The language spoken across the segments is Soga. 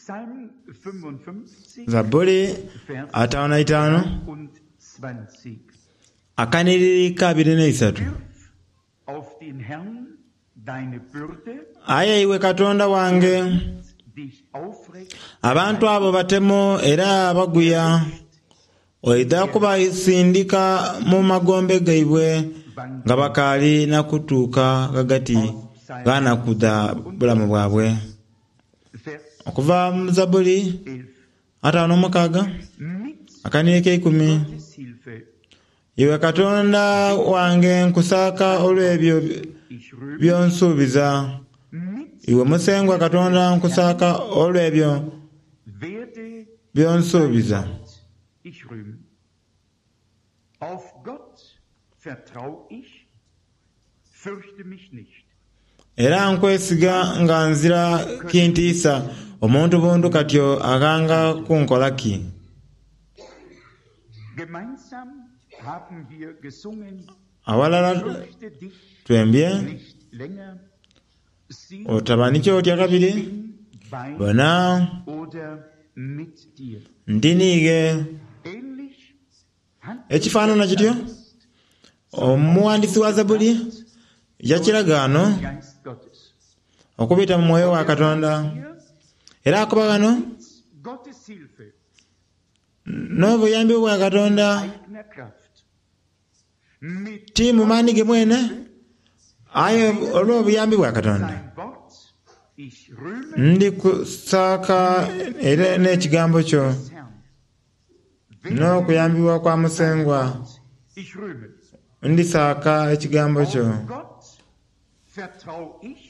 Psalm 55, Zabbuli Vers 55 23. akanhiriri ka 23. Wirf auf den Herrn deine Bürde, Aye iwe Katonda wange, dich aufrecht, abantu abo batemo era baguya, oidha kubasindika mu magombe gaibwe nga bakaali na kutuuka ghagati gha naku dha bulamu bwabwe. Vers Okuva mu Zabbuli 11. 56 Mit akanhiriri k'eikumi. Gottes Hilfe Iwe Katonda wange nkusaaka olw'ebyo ich rühme, by'onsuubiza. mit Iwe Musengwa Katonda nkusaaka olw'ebyo werde by'onsuubiza. Gott ich rühmen. Auf Gott vertrau ich, fürchte mich nicht. Era nkwesiga nga nzira kintiisa, omuntu buntu katyo aghanga kunkola ki? Gemeinsam haben wir gesungen, Awalala fürchte dich twembye, nicht länger, sieh, otaba ni ky'otya kabiri, bin bei bona oder mit dir. ndi niighe. Ähnlich hat Ekifaanana kityo, omuwandiisi wa Zabbuli yakiragaano Geist Gottes. okubita mu mwoyo wa Katonda. Hier Era akuba ghano Gottes Hilfe, n'obuyambi bwa Katonda eigener Kraft. Mit ti mu maani ge mwene, aye olw'obuyambi bwa Katonda. sein Wort, ich rühme Ndi kusaaka era n'ekigambo kyo des Herrn. n'okuyambibwa kwa Musengwa. Ich rühme. Ndisaaka ekigambo kyo. Auf Gott vertrau ich,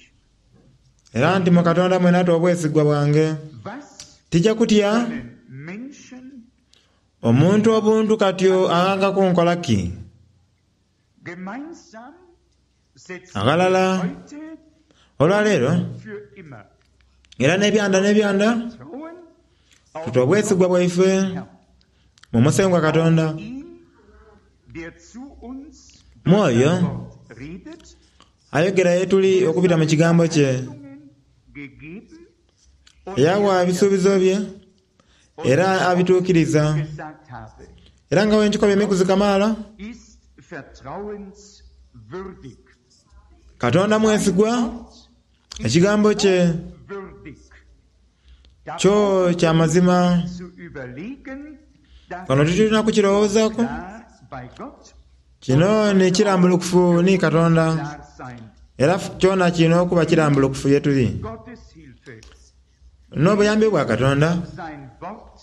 Era nti mu Katonda mwene ate obwesigwa bwange. was Tija kutya können Menschen omuntu obuntu katyo aghanga kunkola ki? gemeinsam setzen Aghalala wir heute olwaleero für immer era n'ebyanda n'ebyanda Vertrauen auf tuta obwesigwa bwaife Herrn. mu Musengwa Katonda. Ihn, der zu uns Mwoyo Wort redet, ayogera ye tuli okubita mu kigambo kye. Verheißungen gegeben und Yawa ebisuubizo bye era abituukiriza. gesagt habe, Era nga bwe nkikobye emikuzi kamaala, ist vertrauenswürdig. Katonda mwesigwa, ekigambo kye Würdig. kyo kya mazima. Zu überlegen, dass Kano titulina kukirowoozaaku. klar bei Gott Kino ni kirambulukufu ni Katonda klar sein. era kyona kirina okuba kirambulukufu ye tuli. Gottes Hilfe, N'obuyambi bwa Katonda sein Wort,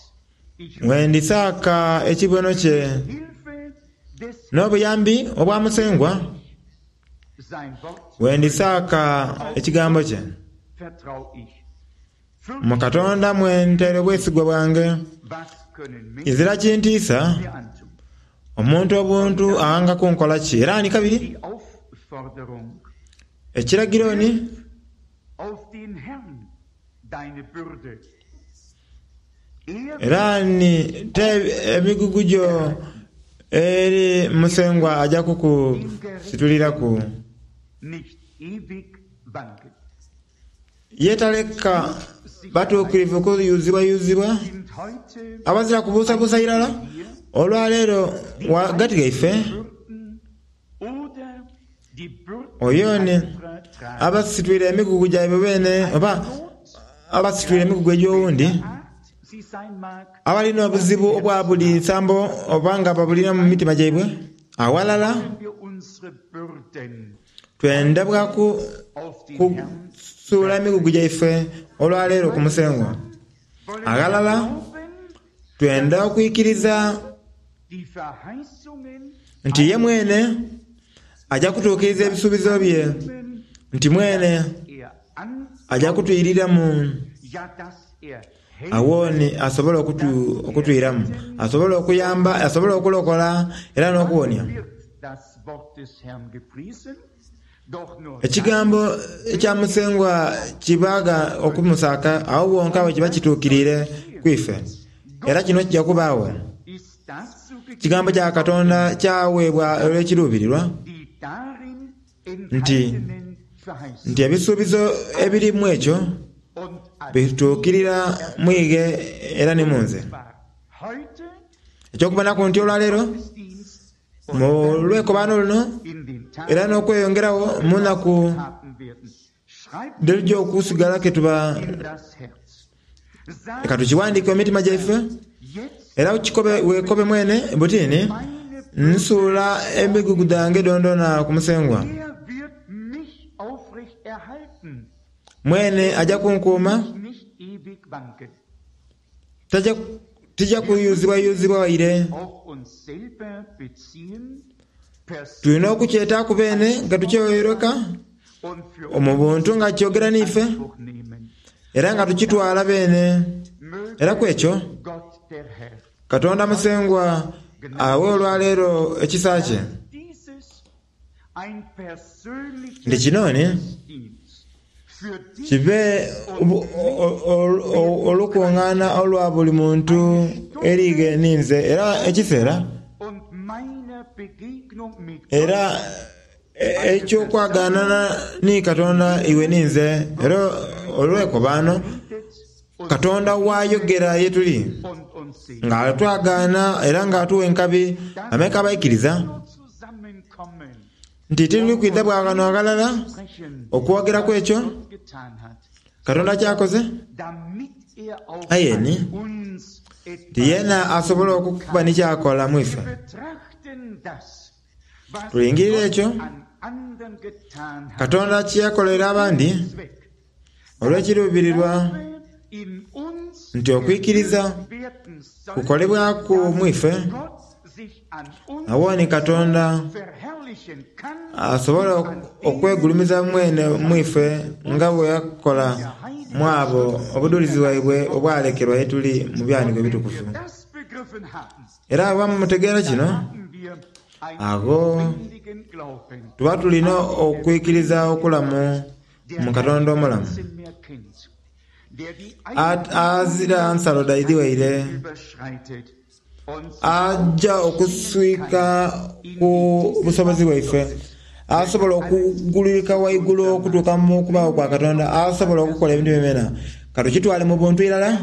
ich wendisaaka ekibono kye Hilfe des n'obuyambi obwa Musengwa sein Wort wendisaaka ekigambo kye. vertrau ich. Mu Katonda mwe nteere obwesigwa bwange. Was können Menschen Izira kintiisa mir antun? omuntu obuntu aghanga kunkola ki? Era ni kabiri Die Aufforderung, ekiragiro ni auf den Herrn deine Bürde. Er era ni te emigugu gyo eri Musengwa ajja kukusituliraku. nicht ewig wanken. Ye taleka batuukirivu kuyuzibwayuzibwa Sind heute abazira kubuusabuusa irala olwaleero ghagati gaife Bürden oder die Bürden oyo ni anderer tragen. abasitwire emigugu gyaibwe beene oba abasitwire emigugu egy'owundi Art sie sein mag, abalina obuzibu obwa buli nsambo oba nga babulina mu mitima gyaibwe awalala wir unsere Bürden twenda bwaku auf den Herrn kusuula emigugu gyaife olwaleero ku Musengwa. wollen Aghalala glauben, twenda okwikiriza die Verheißungen nti ye mwene ajja kutuukiriza ebisuubizo bye nti mwene er an, ajja kutwiriramu ja, dass er helfen, awo ni asobola okutwiramu asobola okuyamba asobola okulokola era n'okuwonia. wird das Wort des Herrn gepriesen, doch nur Ekigambo ekya Musengwa kibaaga okumusaaka awo wonka bwe kiba kituukiriire kwife era kino kijja kubaawo. ist dazu Ekigambo kya Katonda kyaweebwa olw'ekiruubirirwa die darin nti enthaltenen Verheißungen nti ebisuubizo ebirimu ekyo und Bituukirira mu ighe era ni mu nze. Eky'okubonaku nti olwaleero, mu lwekobaano luno era n'okweyongeragho mu naku dh'elija okusigala ke tuba, leka tukiwandiike mu mitima gyaife era okikobe weekobe mwene buti ni, Nsuula emigugu dhange dhoonadhoona ku Musengwa. Mwene aja kunkuuma, tija kuyuzibwayuzibwa waire. Tulina okukyetaaku beene nga tukyeyoireka mu buntu nga kyogera n'ife era nga tukitwala beene. Era ku ekyo, Katonda Musengwa awe olwaleero ekisa kye. Nti kino ni kibe olukungaana olwa buli muntu eri ghe ninze era ekiseera era eky'okwagaanana ni Katonda iwe ninze era olwekobaano Katonda bw'ayogera ye tuli nga atwagaana era nga atuwa enkabi bameka abaikiriza Nti tituli kwidha bwa ghano aghalala okwogeraku ekyo Katonda ky'akoze, aye ni nti yeena asobola okuba ni ky'akola mu ife. Tulingirira ekyo Katonda kye yakolera abandi olw'ekiruubirirwa nti okwikiriza kukolebwaku mu ife, agho ni Katonda asobola okwegulumiza mwene mu ife nga bwe yakola mu abo obudhulizi bwaibwe obwalekerwa ye tuli mu Byawandiikibwa Ebitukuvu. Era bwe mutegeera kino, agho tuba tuli n'okwikiriza okulamu mu Katonda omulamu, azira nsalo dhaidhi waire, aja okuswika ku busobozi bwaife, asobola okugulirika waigulu okutuuka mu kubaagho kwa Katonda, asobola okukola ebintu byonabyona. Ka tukitwale mu buntu irala.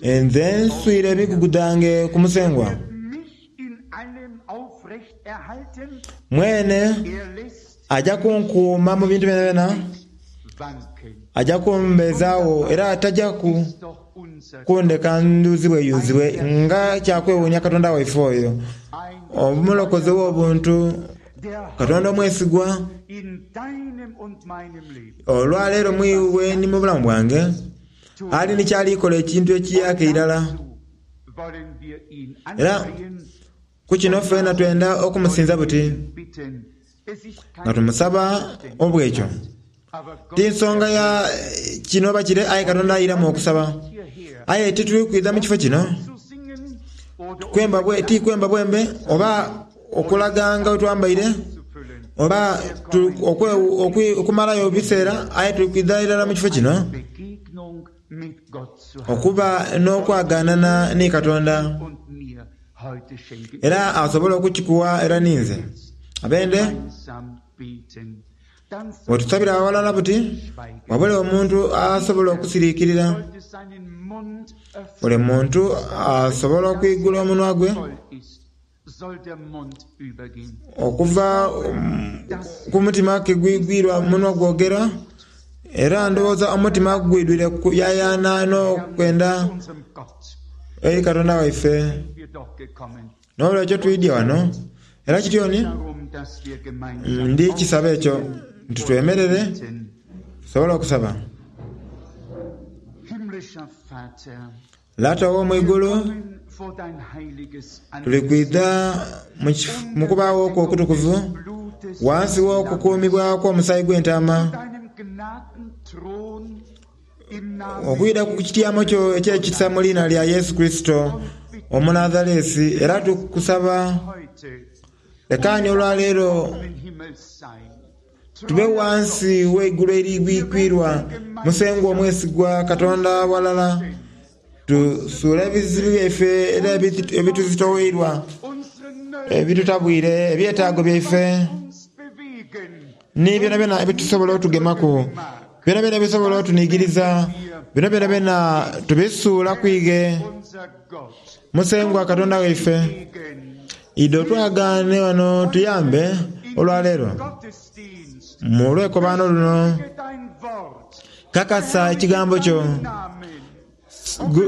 Nze nswire emigugu dhange ku Musengwa. Mwene aja kunkuuma mu bintu byonabyona, aja kumbeezaagho era taja kundeka ndhuzibweyuzibwe. Nga kya kwewuunia Katonda waife oyo, Omulokozi ow'obuntu, Katonda omwesigwa! Olwaleero mu iwe ni mu bulamu bwange, ali ni ky'ali kola ekintu ekiyaaka irala. Era ku kino feena twenda okumusinza buti, nga tumusaba obw'ekyo. Ti nsonga ya kino oba kire, aye Katonda airamu okusaba. Aye tituli kwidha mu kifo kino kwemba bwe, ti kwemba bwembe oba okulaga nga bwe twambaire oba okumalayo ebiseera, aye tuli kwidha irala mu kifo kino okuba n'okwagaanana ni Katonda, era asobole okukikuwa era ninze. Abende, bwetusabira aghalala buti, wabule omuntu asobola okusiriikirira. Buli muntu asobola okwigula omunwa gwe okuva ku mutima ke gwigwirwa munwa gwogera, era ndowooza omutima gwidwire kuyayaana n'okwenda eri Katonda waife. N'olwekyo twidhye ghano, era kityo ni ndi kisaba ekyo nti twemerere tusobole okusaba. Lata ow'omu igulu, tuli kwidha mu kubaagho kwo okutukuvu, ghansi w'okukuumibwa kw'omusaayi gw'Entaama, okwidha ku kityamo kyo eky'ekisa mu liina lya Yesu Kurisito Omunazaresi, era tukusaba lekaani olwaleero Tube ghansi w'eigulu eribwikwirwa Musengwa omwesigwa Katonda ghalala, tusuule ebizibu byaife era ebituzitoweirwa, ebitutabwire, ebyetaago byaife, ni byonabyona ebitusobola otugemaku. Byonabyona ebisobola otunigiriza, bino byonabyona tubisuula ku ighe. Musengwa Katonda waife, idho twagaane ghano tuyambe olwaleero mu lwekobaano luno. Kakasa ekigambo kyo,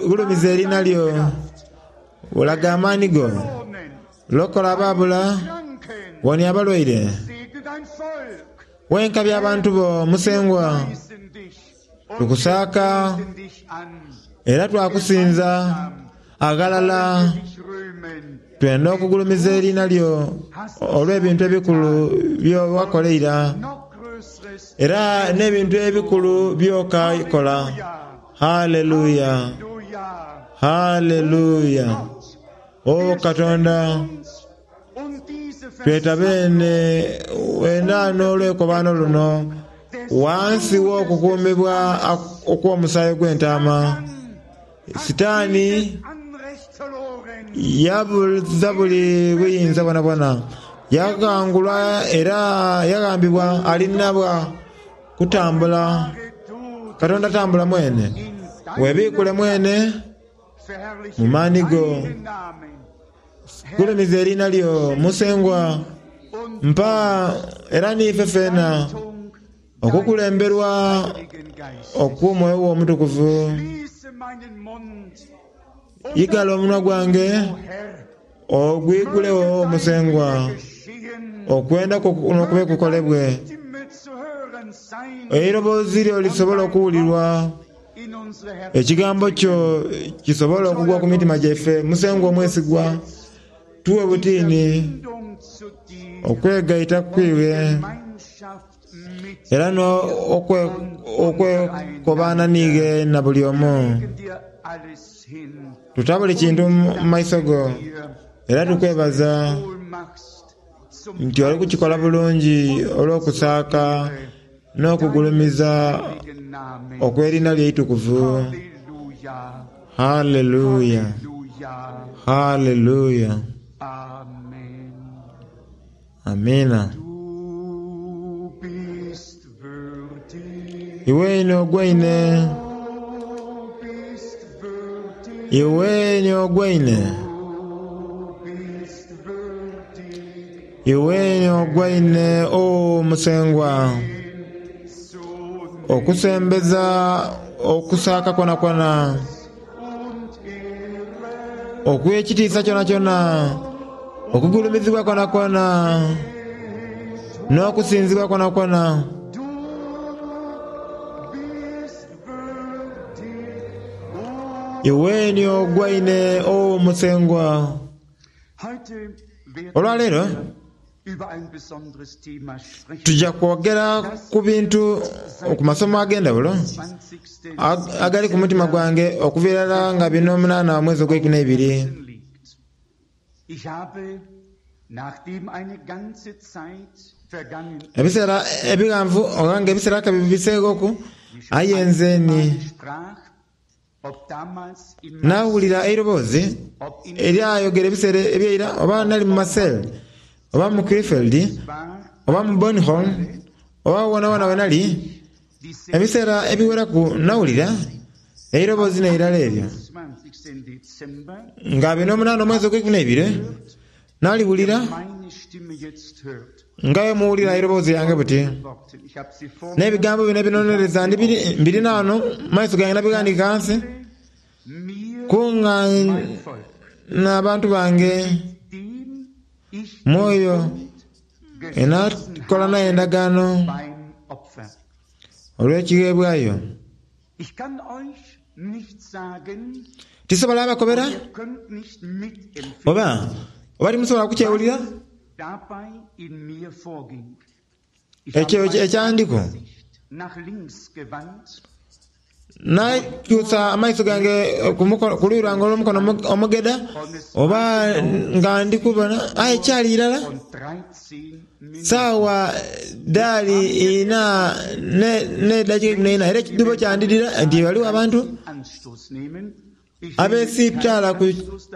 gulumiza eriina lyo, olaga amaani go, lokola abaabula, wonia abalwaire. Wenka by'abantu bo Musengwa, tukusaaka era twakusinza aghalala. Twenda okugulumiza eriina lyo olw'ebintu ebikulu bye wakola eira, era n'ebintu ebikulu by'okakola. Haleluya! Haleluya! O Katonda, tweta beene wena n'olwekobaano luno ghansi w'okukuumibwa okw'omusaayi ogw'entaama. Sitaani yabuza buli buyinza bwonabwona, yaghangulwa era yaghambibwa alina bwa kutambula. Katonda tambula mwene, webiikule mwene mu maani go. Gulumiza eriina lyo Musengwa, mpa era n'ife feena okukulemberwa okw'Omwoyo wo Omutukuvu. Igala omunwa gwange ogwigulegho Musengwa, okwenda kwo n'okube kukolebwe, eiroboozi lyo lisobole okuwulirwa, ekigambo kyo kisobole okugwa ku mitima gyaife. Musengwa omwesigwa, tuwe butiini okwegaita ku iwe era n'okwekobaana n'ighe na buli omu. Tuta buli kintu mu maiso go era tukwebaza nti oli kukikola bulungi olw'okusaaka n'okugulumiza okw'eriina lyo eitukuvu. Haleluya! Haleluya! Amiina. Iwe ni ogwaine. Iwe ni ogwaine. Iwe ni ogwaine, O Musengwa, okusembeza okusaaka kwonakwona, okw'ekitiisa kyonakyona, okugulumizibwa kwonakwona, n'okusinzibwa kwonakwona. Iwe ni ogwaine, O Musengwa. Olwaleero tuja kwogera ku bintu ku masomo ag'endhawulo agali ku mutima gwange okuva irala nga bino omunaana omwezi ogweikumi n'eibiri. Ebiseera ebighanvu oba nga ebiseera kabibiseeghoku, aye nze ni Naawulira eiroboozi eryayogera ebiseera eby'eira, oba nali mu Marseille, oba mu Krefeld, oba mu Bornholm, oba wonawona we nali, ebiseera ebiweraku nawulira eiroboozi n'eirala eryo. Nga bino omunaana omwezi ogweikumi n'eibiri, naliwulira nga bwe muwulira eiroboozi lyange buti. N'ebigambo bino ebinonereza mbirina ghano mu maiso gange nabighandiika ghansi, Kungaana abantu bange mu oyo enakola naye endagaano olw'ekigheebwayo. Tisobola bakobera oba oba timusobola kukyewulira ekyo ekyandiku. Nakyusa amaiso gange ku luuyi lwange olw'omukono omugedha oba nga ndi kubona, aye kyali irala saawa dhaali ina n'edhakiika eikumi n'eina era ekidhuubo kyandidhira nti ghaligho abantu abesiitala ku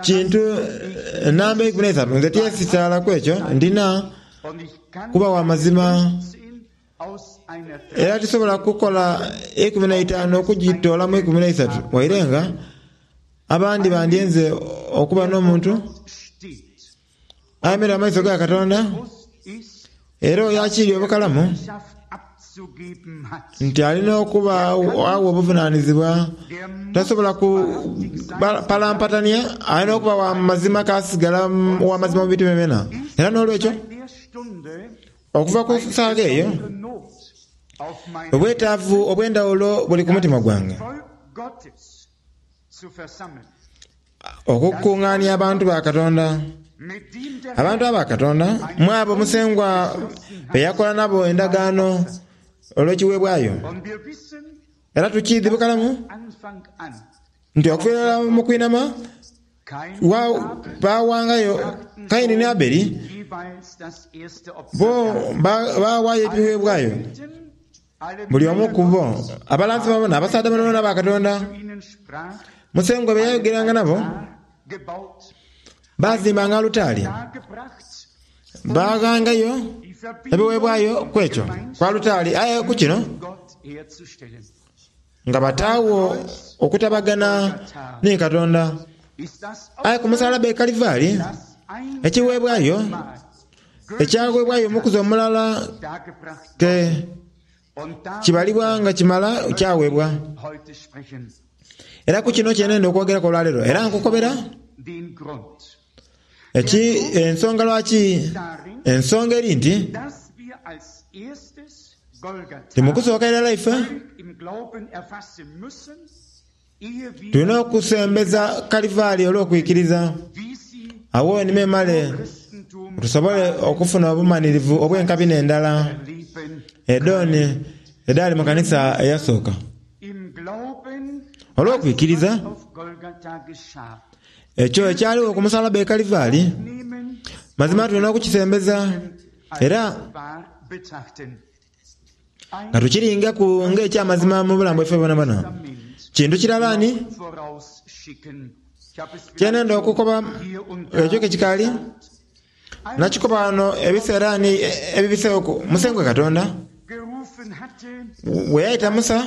kintu namba 13. Nze tyesitaalaku ekyo, ndina kuba wa mazima. Era tisobola kukola 15 okugitoolamu 13, waire nga abandi bandyenze okuba n'omuntu ayemereire mu maiso ga Katonda era oyo akiiri obukalamu nti alina okuba agho obuvunanizibwa. Tasobola kupalampatania, alina okuba wa mazima k'asigala wa mazima mu bintu byonabyona. Era n'olwekyo, Okuva ku saagha eyo, obwetaavu obw'endhawulo buli ku mutima gwange okukungaania abantu ba Katonda. Abantu aba Katonda, mu abo Musengwa be yakola nabo endagaano olw'ekiweebwayo. Era tukiidhi bukalamu nti okuva irala mu kwinhama, Baawangayo Kaini ni Abeli, bo baawaayo ebiweebwayo, buli omu ku bo. Abalanzi boona, abasaadha boonaboona aba Katonda, Musengwa be yayogeranga nabo, baazimbanga alutaari, baaghangayo ebiweebwayo ku ekyo, ku alutaari. Aye ku kino Nga bataagho okutabagana ni Katonda. Aye ku musalaba e Kalivari, ekigheebwayo ekyagheebwayo omukuzi omulala ke kibalibwa nga kimala kyaweebwa. Era ku kino kye nenda okwogeraku olwaleero, era nkukobera eki ensonga lwaki. Ensonga eri nti, Nti mu kusooka irala ife tulina okusembeza Kalivaali olw'okwikiriza, agho ni memale tusobole okufuna obumanhirivu obw'enkabina endala edhooni edhaali mu kanisa eyasooka. Olw'okwikiriza ekyo ekyaligho ku musalaba e Kalivaali, mazima tulina okukisembeza. Era nga tukiringaku ng'eky'amazima mu bulamu bwaife bwonabwona. Kintu kirala ni kye nenda okukoba ekyo ke kikaali nakikoba ghano ebiseera ni ebibiseeghoku. Musengwa Katonda bwe yaita Musa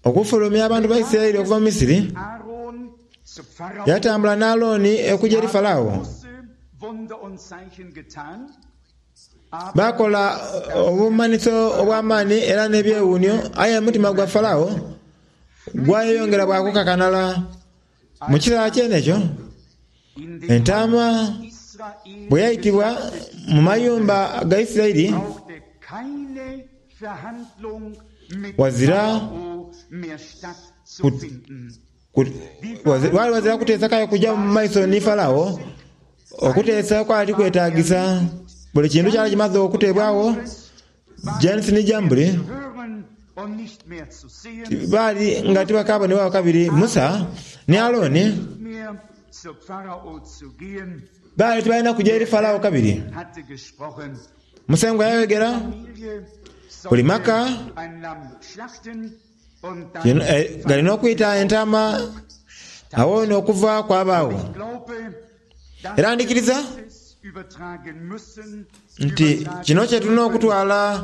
okufulumya abantu ba Isiraeli okuva mu Misiri, yatambula n'Aaroni okuja eri Farao. Baakola obumanhiso obw'amaani era n'ebyewuunhio, aye omutima gwa Farao gwayeyongera bwa kukakanala. Mu kiseera kyene ekyo, entaama bwe yaitibwa mu mayumba ga Isiraeli, ghazira ghali ghazira kuteesa k'aye kuja mu maiso ni Farao. Okuteesa kwali tikwetaagisa. Buli kintu kyali kimaze okuteebwagho. Janesi ni Jambure baali nga tibakaabonebwagho kabiri. Musa ni Aaroni baali tibalina kuja eri Farao kabiri. Musengwa yayogera, buli maka gali n'okwita entaama agho n'okuva kwabaagho. Era ndhikiriza nti kino kye tulina okutwala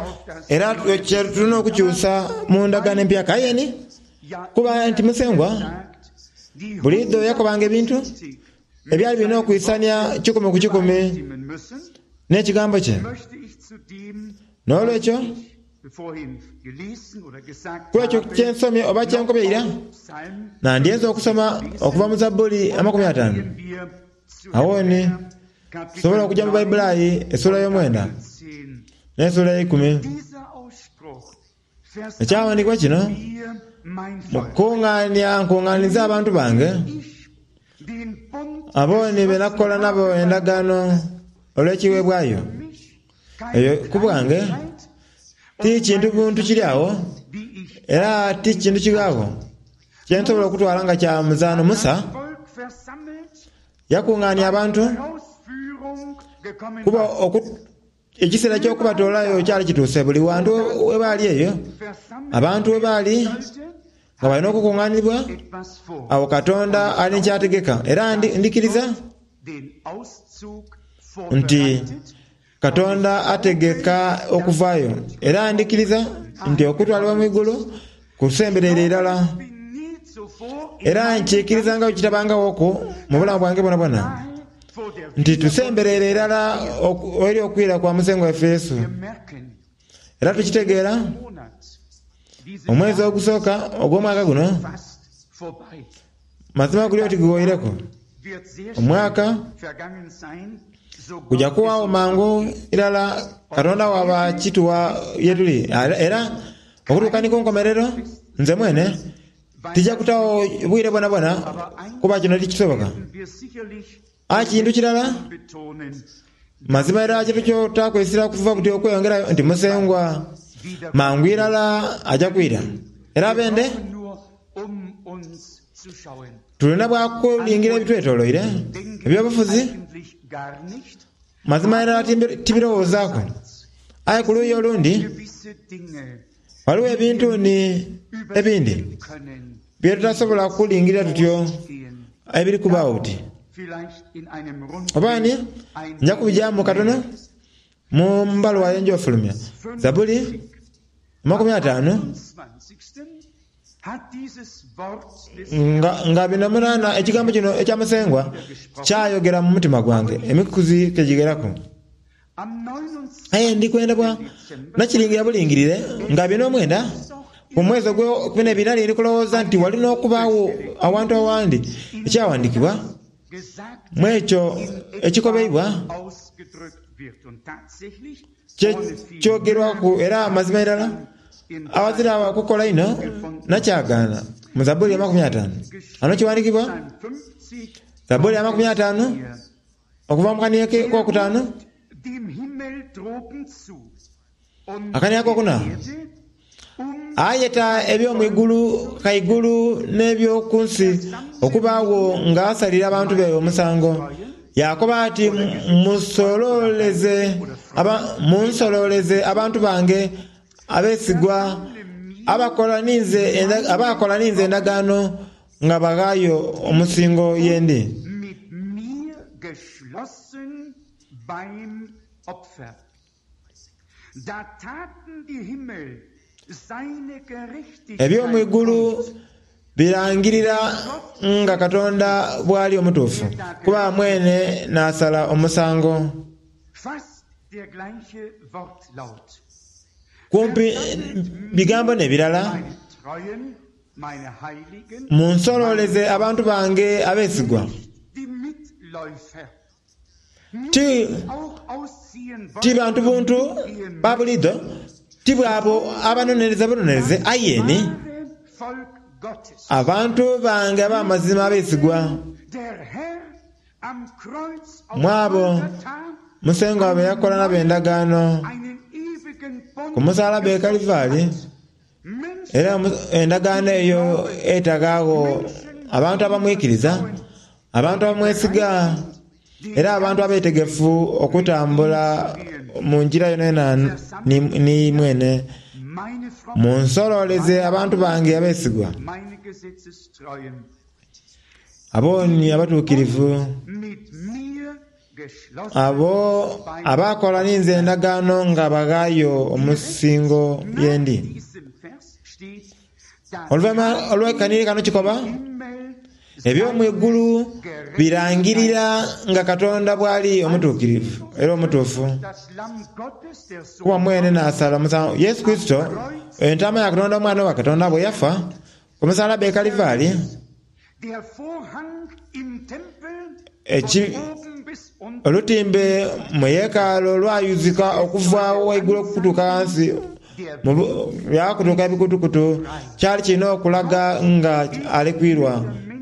era kye tulina okukyusa mu ndagaano empyaka. Aye ni kuba nti Musengwa buliidho yakobanga ebintu ebyali birina okwisania kikumi ku kikumi n'ekigambo kye. N'olwekyo, ku ekyo kye nsomye oba kye nkobye eira, nandyenze okusoma okuva mu Zabbuli 50. Agho ni tusobola okuja mu Baibulayi esuula ey'omwenda n'esuula eyeikumi. Ekyaghandiikibwa kino, Mukungaania nkungaanize abantu bange, abo ni be nakola nabo endagaano olw'ekigheebwayo. Eyo ku bwange ti kintu buntu kiri agho, era ti kintu kighagho kye nsobola okutwala nga kya muzaano. Musa yakungaania abantu kuba ekiseera eky'okubatoolayo kyali kituuse. Buli wantu we baali eyo, abantu we baali nga balina okukungaanibwa, agho Katonda ali ni ky'ategeka. Era ndhikiriza nti. Katonda ategeka okuvaayo. Era ndhikiriza nti okutwalibwa mu igulu kusembereire irala. Era nkiikiriza nga bwe kitabangawoku mu bulamu bwange bwonabwona, nti tusembereire irala eri okwira kwa Musengwa waife Yesu. Era tukitegeera, omwezi ogusooka ogw'omwaka guno, mazima guli oti guwoireku. Omwaka guja kuwaagho mangu irala Katonda bw'aba akituwa ye tuli. Era okutuuka ni ku nkomerero, nze mwene tija kutaagho bwire bwonabwona kuba kino tikisoboka. Aye kintu kirala, mazima irala kye tukyotaaku essira okuva buti okweyongerayo nti Musengwa mangu irala aja kwira. Era abende tulina bwa kulingira ebitwetoloire eby'obufuzi, mazima irala tibirowoozaaku. Aye ku luuyi olundi ghaligho ebintu ni ebindi bye tutasobola kulingirira tutyo ebiri kubaagho buti. Oba ni, nja kubijaamu katono mu mbaluwa ye njofulumya. Zabbuli 50 nga, nga bino munaana ekigambo kino ekya Musengwa kyayogera mu mutima gwange emikuzi ke gigheraku. Aye ndi kwenda bwa nakiringira bulingirire nga bino omwenda ku mwezi ogw'eikumi n'ebiri nali ndi kulowooza nti wali n'okubaagho awantu awandi ekyaghandiikibwa mu ekyo ekikobeibwa kye kyogerwaku era mazima irala aghazira kukola inho nakyagaana mu Zabbuli 50. Ghano kiwandiikibwa, Zabbuli 50. Okuva mu kaniya akokutaanu, akaniya akokuna, ayeta eby'omu igulu ghaigulu n'eby'oku nsi okubaagho ng'asalira abantu be omusango. Yaakoba ati, Munsololeze abantu bange abeesigwa, abakola ninze endagaano Nga baghaayo omusingo ye ndi. Eby'omu igulu birangirira nga Katonda bw'ali omutuufu, kuba mwene n'asala omusango. Kumpi bigambo n'ebirala. Munsololeze abantu bange abeesigwa. Ti, ti bantu buntu ba buliidho, ti bw'abo abanonereza bunonereze, aye ni abantu bange ab'amazima abeesigwa. Mu abo Musengwa be yakola nabo endagaano ku musalaba e Kalivari. Era endagaano eyo etaghaagho abantu abamwikiriza, abantu abamwesiga, era abantu abeetegefu okutambula mu ngira yonayona ni mwene. Munsololeze abantu bange abeesigwa, abo ni abatuukirivu. Abo abaakola ninze endagaano nga baghaayo omusingo ye ndi. Oluvainhuma olw'ekanhiri kano kikoba, Eby'omu igulu birangirira nga Katonda bw'ali omutuukirivu era omutuufu, kuba mwene n'asala omusango. Yesu Kurisito, Entaama ya Katonda, Omwana wa Katonda, bwe yafa ku musalaba e Kalivari, Olutimbe mu yeekaalu lwayuzika okuva ghaigulu okutuuka ghansi, lwakutuka ebikutukutu. Kyali kirina okulaga nga ali kwirwa,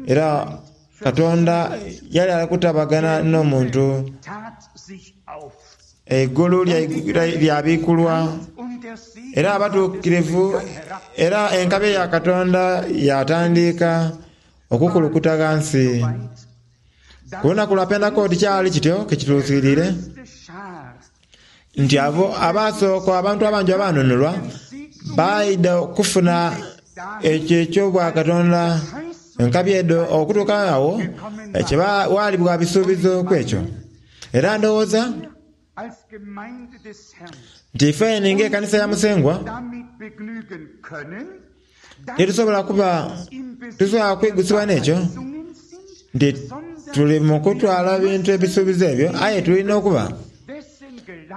era Katonda yali ali kutabagana n'omuntu. Eigulu lyabiikulwa, era abatuukirivu era enkabi ya Katonda yaatandiika okukulukuta ghansi. Ku lunaku lwa Pentekooti kyali kityo ke kituukiriire nti abo abaasooka, abantu abangi abaanunulwa, baidha okufuna ekyo eky'Obwakatonda, enkabi edho okutuuka agho kye ghalibwa bisuubizo ku ekyo. Era ndowooza. Nti ifeni ng'ekanisa ya Musengwa titusobola kuba tusobola kwigusibwa n'ekyo nti tuli mu kutwala bintu ebisuubizo ebyo, aye tulina okuba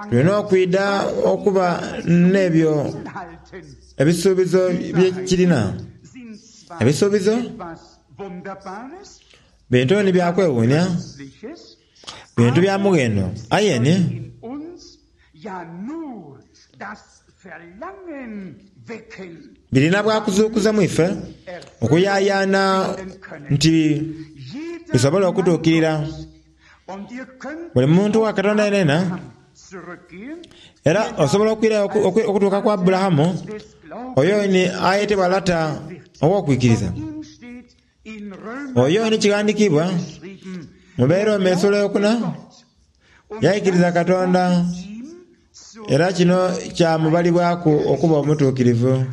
tulina okwidha okuba n'ebyo ebisuubizo bye kirina. Ebisuubizo bintu ni bya kwewuunia. Bintu bya mughendo, aye ni birina bwa kuzuukuza mu ife okuyayaana nti bisobole okutuukirira. Buli muntu wa Katonda yenayena, era osobola okwirayo okutuuka ku Aburahamu, oyo ni ayetebwa lata ow'okwikiriza. Oyo ni kighandikiibwa mu Beeroma esula eyokuna, Yaikiriza Katonda, era kino kyamubalibwaku okuba omutuukirivu.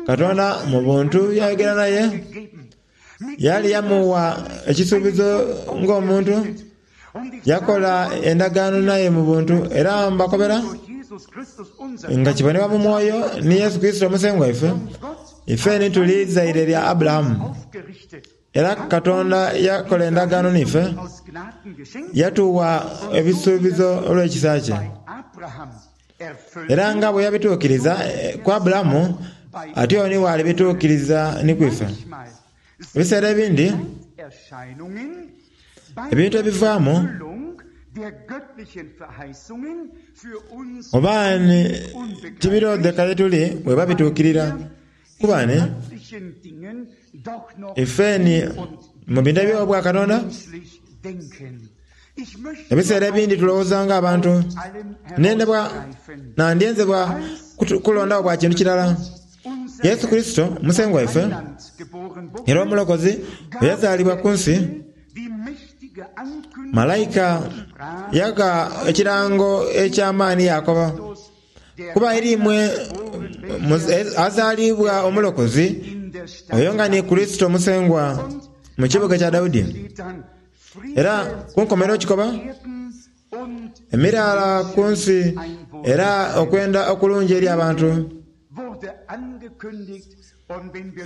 Katonda mu buntu yayogera naye, yali yamugha ekisuubizo ng'omuntu, yakola endagaano naye mu buntu, era mbakobera nga kibonebwa mu mwoyo ni Yesu Kurisito Omusengwa waife, ife ni tuli zaire lya Aburahamu. Era Katonda yakola endagaano n'ife, yatugha ebisuubizo olw'ekisa kye. Era nga bwe yabituukiriza ku Aburahamu, atyo ni bw'alibituukiriza ni ku ife. Ebiseera ebindi, ebintu ebivaamu oba ni tibiroodheka ye tuli bweba bituukirira. Kuba ni ife ni mu bintu eby'Obwakatonda, ebiseera ebindi tulowooza ng'abantu. Nendebwa, nandyenze bwa kulondagho bwa kintu kirala. Yesu Kurisito, Musengwa waife era Omulokozi, bwe yazaalibwa ku nsi, malaika yagha ekirango eky'amaani yaakoba, Kuba eri imwe azaalibwa Omulokozi, oyo nga ni Kurisito Musengwa, mu kibuga kya Daudi. Era ku nkomerero kikoba, Emiraala ku nsi era okwenda okulungi eri abantu.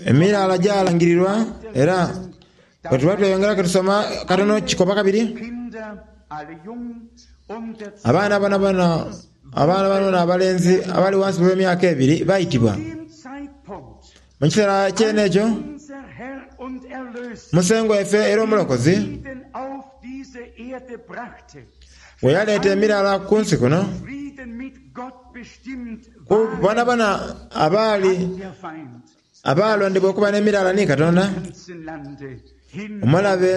Emiraala gyalangirirwa era bwe tuba tweyongera ke tusoma katono kikoba kabiri. Abaana bonabona abaana bonabona abalenzi abali ghansi gh'emyaka ebiri baitibwa. Mu kiseera kyene ekyo, Musengwa waife era Omulokozi bwe yaleeta emiraala ku nsi kuno, ku bonabona abaali abaalondebwa okuba n'emiraala ni Katonda, omulabe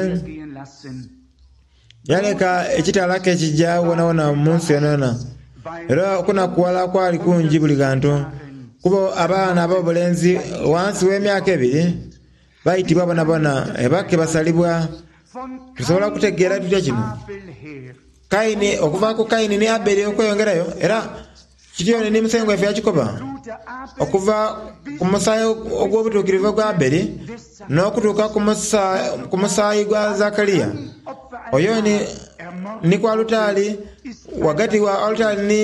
yaleka ekitala ke kija wonawona mu nsi yonayona. Era okunakughala kwali kungi buli ghantu, kuba abaana ab'obulenzi ghansi w'emyaka ebiri baitibwa bonabona ebake basalibwa. Tusobola kutegeera tutya kino? Kaini, okuva ku Kaini ni Abeli okweyongerayo, era kityo ni Musengwa waife yakikoba, okuva ku musaayi ogw'obutuukirivu ogwa Abeli n'okutuuka ku musaayi gwa Zakaria, oyo ni, ni ku alutaari, ghagati wa alutaari ni,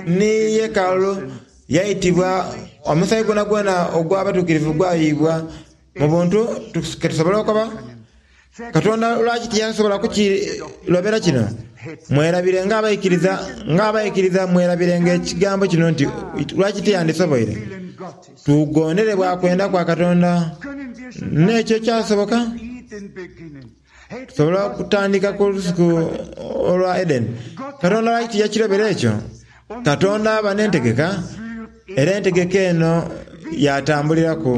ni yeekaalu, yaitibwa, omusaayi gwonagwona ogw'abatuukirivu gwayiibwa. Mu buntu ke tusobola okoba, Katonda lwaki tiyasobola kukirobera kino? Mwerabire ng'abaikiriza, ng'abaikiriza mwerabirenga ekigambo kino nti lwaki tiyandisoboire. Tugondere bwa kwenda kwa Katonda. N'ekyo kyasoboka. Tusobola okutandika ku lusuku olwa Edeni. Katonda lwaki tiyakirobera ekyo? Katonda aba n'entegeka, era entegeka eno y'atambuliraku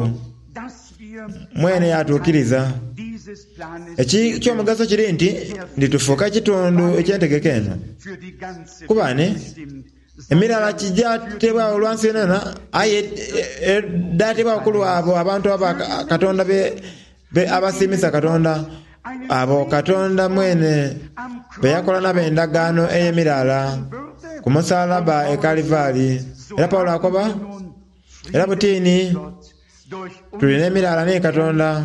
mwene yaatuukiriza. Eky'omugaso kiri nti, nti tufuuka kitundu eky'entegeka eno. Kuba ni emirala kijateebwagho olwa nsi yonayona, aye edhaateebwagho ku lw'abo abantu aba Katonda be Be abasiimisa Katonda, abo Katonda mwene be yakola nabo endagaano ey'emiraala ku musalaba e Kalivari. Era Paulo akoba, Era butini tuli n'emiraala ni Katonda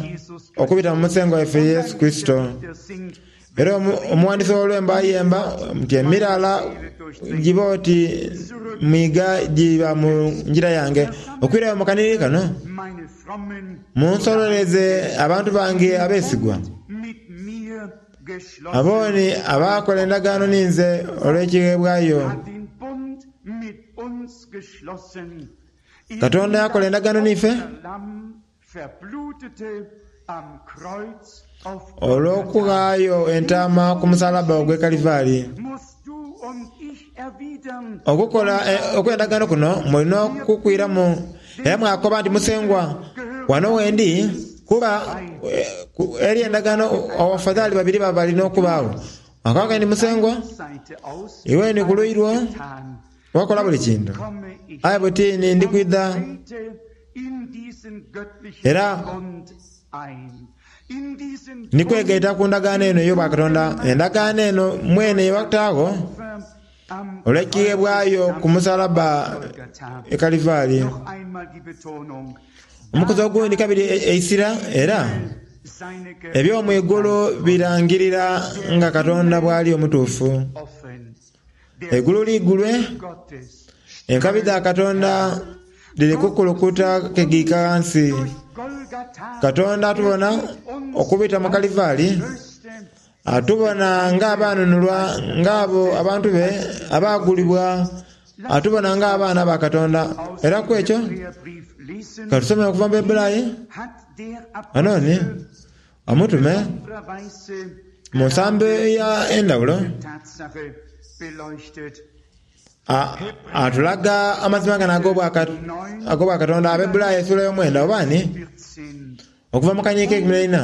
okubita mu Musengwa waife Yesu Kurisito. Era omuwandiisi ow'olwembo ayemba nti, Emiraala giba oti mwiga giba mu ngira yange. Okwirayo mu kanhiriri kano, munsololeze abantu bange abeesigwa, abo ni abaakola endagaano ninze olw'ekigheebwayo. Katonda yakola endagaano n'ife. Olw'okughaayo entaama ku musalabba ogw'e Kalivari. Okukola okw'endagaano kuno mulina okukwiramu era mwakoba nti, Musengwa, wano wendi, kuba eri endagaano abafadhali babiri baba bali n'okubaagho. Mwakoba nti, Musengwa, iwe ni ku luuyi lwo. Wakola buli kintu. Aye buti ni ndi kwidha era ndi kwegaita ku ndagaano eno ey'obwakatonda, endagaano eno mwene ye wataagho olw'ekigheebwayo ku musalabba e Kalivari. Omukuzi ogundi kabiri eisira era eby'omu igulu birangirira nga Katonda bw'ali omutuufu. Eigulu liigulwe, enkabi dha Katonda dhiri kukulukuta kegiika ghansi. Katonda atubona okubita mu Kalivari, atubona ng'abaanunulwa, ng'abo abantu be abaagulibwa, atubona ng'abaana ba Katonda. Era ku ekyo, ka tusome okuva mu Baibulayi. Ghano ni Omutume mu nsambo ey'endhawulo atulaga amazima gano ag'Obwakatonda. Abaebbulaayo esuula y'omwenda oba ni okuva mu kanyiike eikumi n'eina.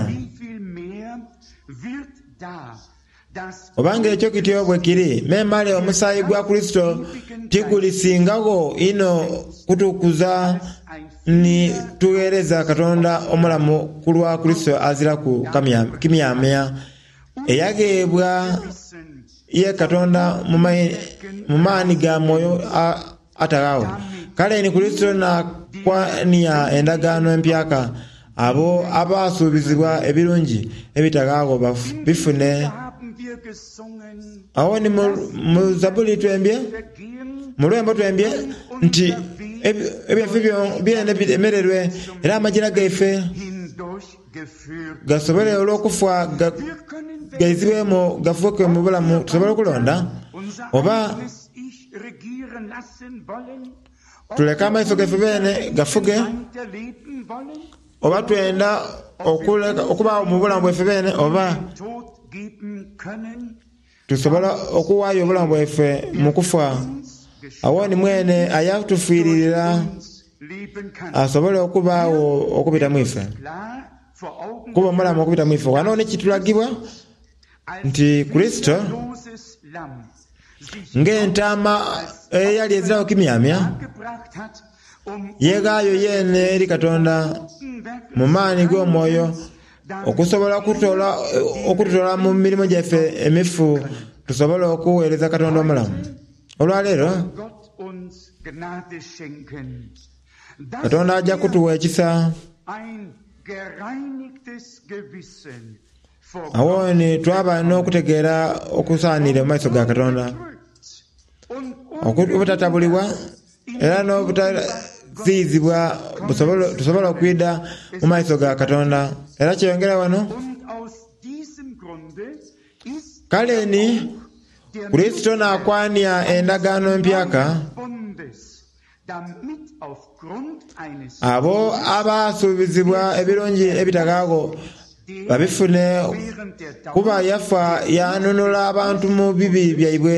Oba nga ekyo kityo bwe kiri, memale omusaayi gwa Kurisito tigulisingagho inho kutukuza ni tugheereza Katonda omulamu ku lwa Kurisito aziraku kimyamya, eyagheebwa ye Katonda mu maani ga Mwoyo ataghaagho? Kale ni Kurisito n'akwania endagaano empyaka, abo abaasuubizibwa ebirungi ebitaghaagho bifune. Agho ni mu Zabbuli twembye, mu lwembo twembye nti, Ebyaife byene biremererwe, era amajira gaife gasobole olw'okufa gaizibwemu gafuuke mu bulamu. Tusobola okulonda oba Tuleke amaiso gaife beene gafuge, oba twenda okubaagho mu bulamu bwaife beene, oba tusobola okuwaayo obulamu bwaife mu kufa. Agho ni mwene ayatufiiririra asobole okubaagho okubita mu ife, kuba omulamu okubita mu ife. Ghano ni kitulagibwa nti Kurisito Ng'entaama eyali eziragho kimyamya, yeeghaayo yeene eri Katonda mu maani g'omwoyo okusobola okututoola mu mirimo gyaife emifu tusobole okugheereza Katonda omulamu. Olwaleero, Katonda aja kutuwa ekisa. Agho ni twaba n'okutegeera okusaaniire mu maiso ga Katonda, obutatabulibwa era n'obutaziyizibwa tusobole okwidha mu maiso ga Katonda. Era kyeyongera ghano. Kale ni, Kurisito naakwania endagaano empyaka. Abo abaasuubizibwa ebirungi ebitaghaagho babifune, kuba yafa yaanunula abantu mu bibi byaibwe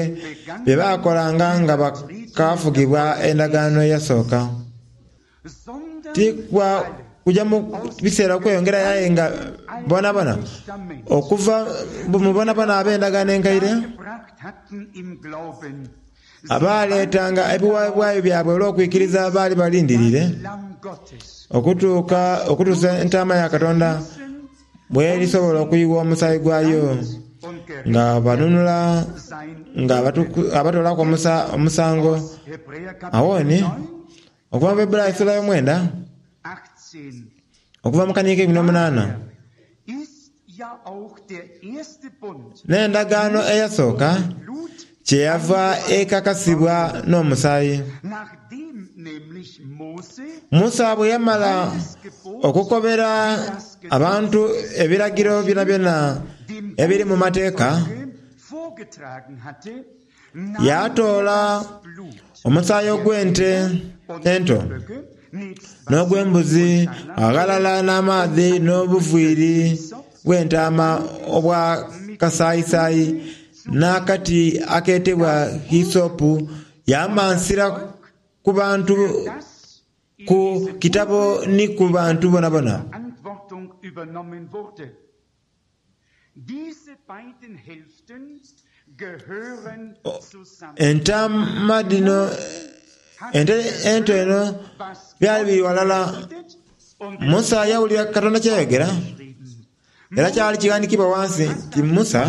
bye baakolanga nga bakaafugibwa endagaano eyasooka. Ti kwa kuja mu biseera okweyongerayo aye nga boonaboona okuva mu boonaboona ab'endagaano enkaire, Abaaleetanga ebiweebwayo byabwe olw'okwikiriza baali balindiriire okutuuka okutuusa Entaama ya Katonda bw'erisobola okuyiwa omusaayi gwayo, nga banunula nga abatoolaku omusango. Agho ni, okuva mu Baibuli esula y'omwenda, okuva mu kanhigo keikumi n'omunaana. N'endagaano eyasooka kyeyava ekakasibwa n'omusaayi. Musa bwe yamala okukobera abantu ebiragiro byonabyona ebiri mu Mateeka, yaatoola omusaayi ogw'ente ento n'ogw'embuzi aghalala n'amaadhi n'obuviiri bw'entaama obwa kasaayisaayi n'akati akeetebwa hisopu, yaamansira ku bantu ku kitabo ni ku bantu boonaboona. Entaama dhino, ente ento eno byali biri ghalala. Musa yawulira Katonda kyeyayogera, era kyali kighandikibwa ghansi nti Musa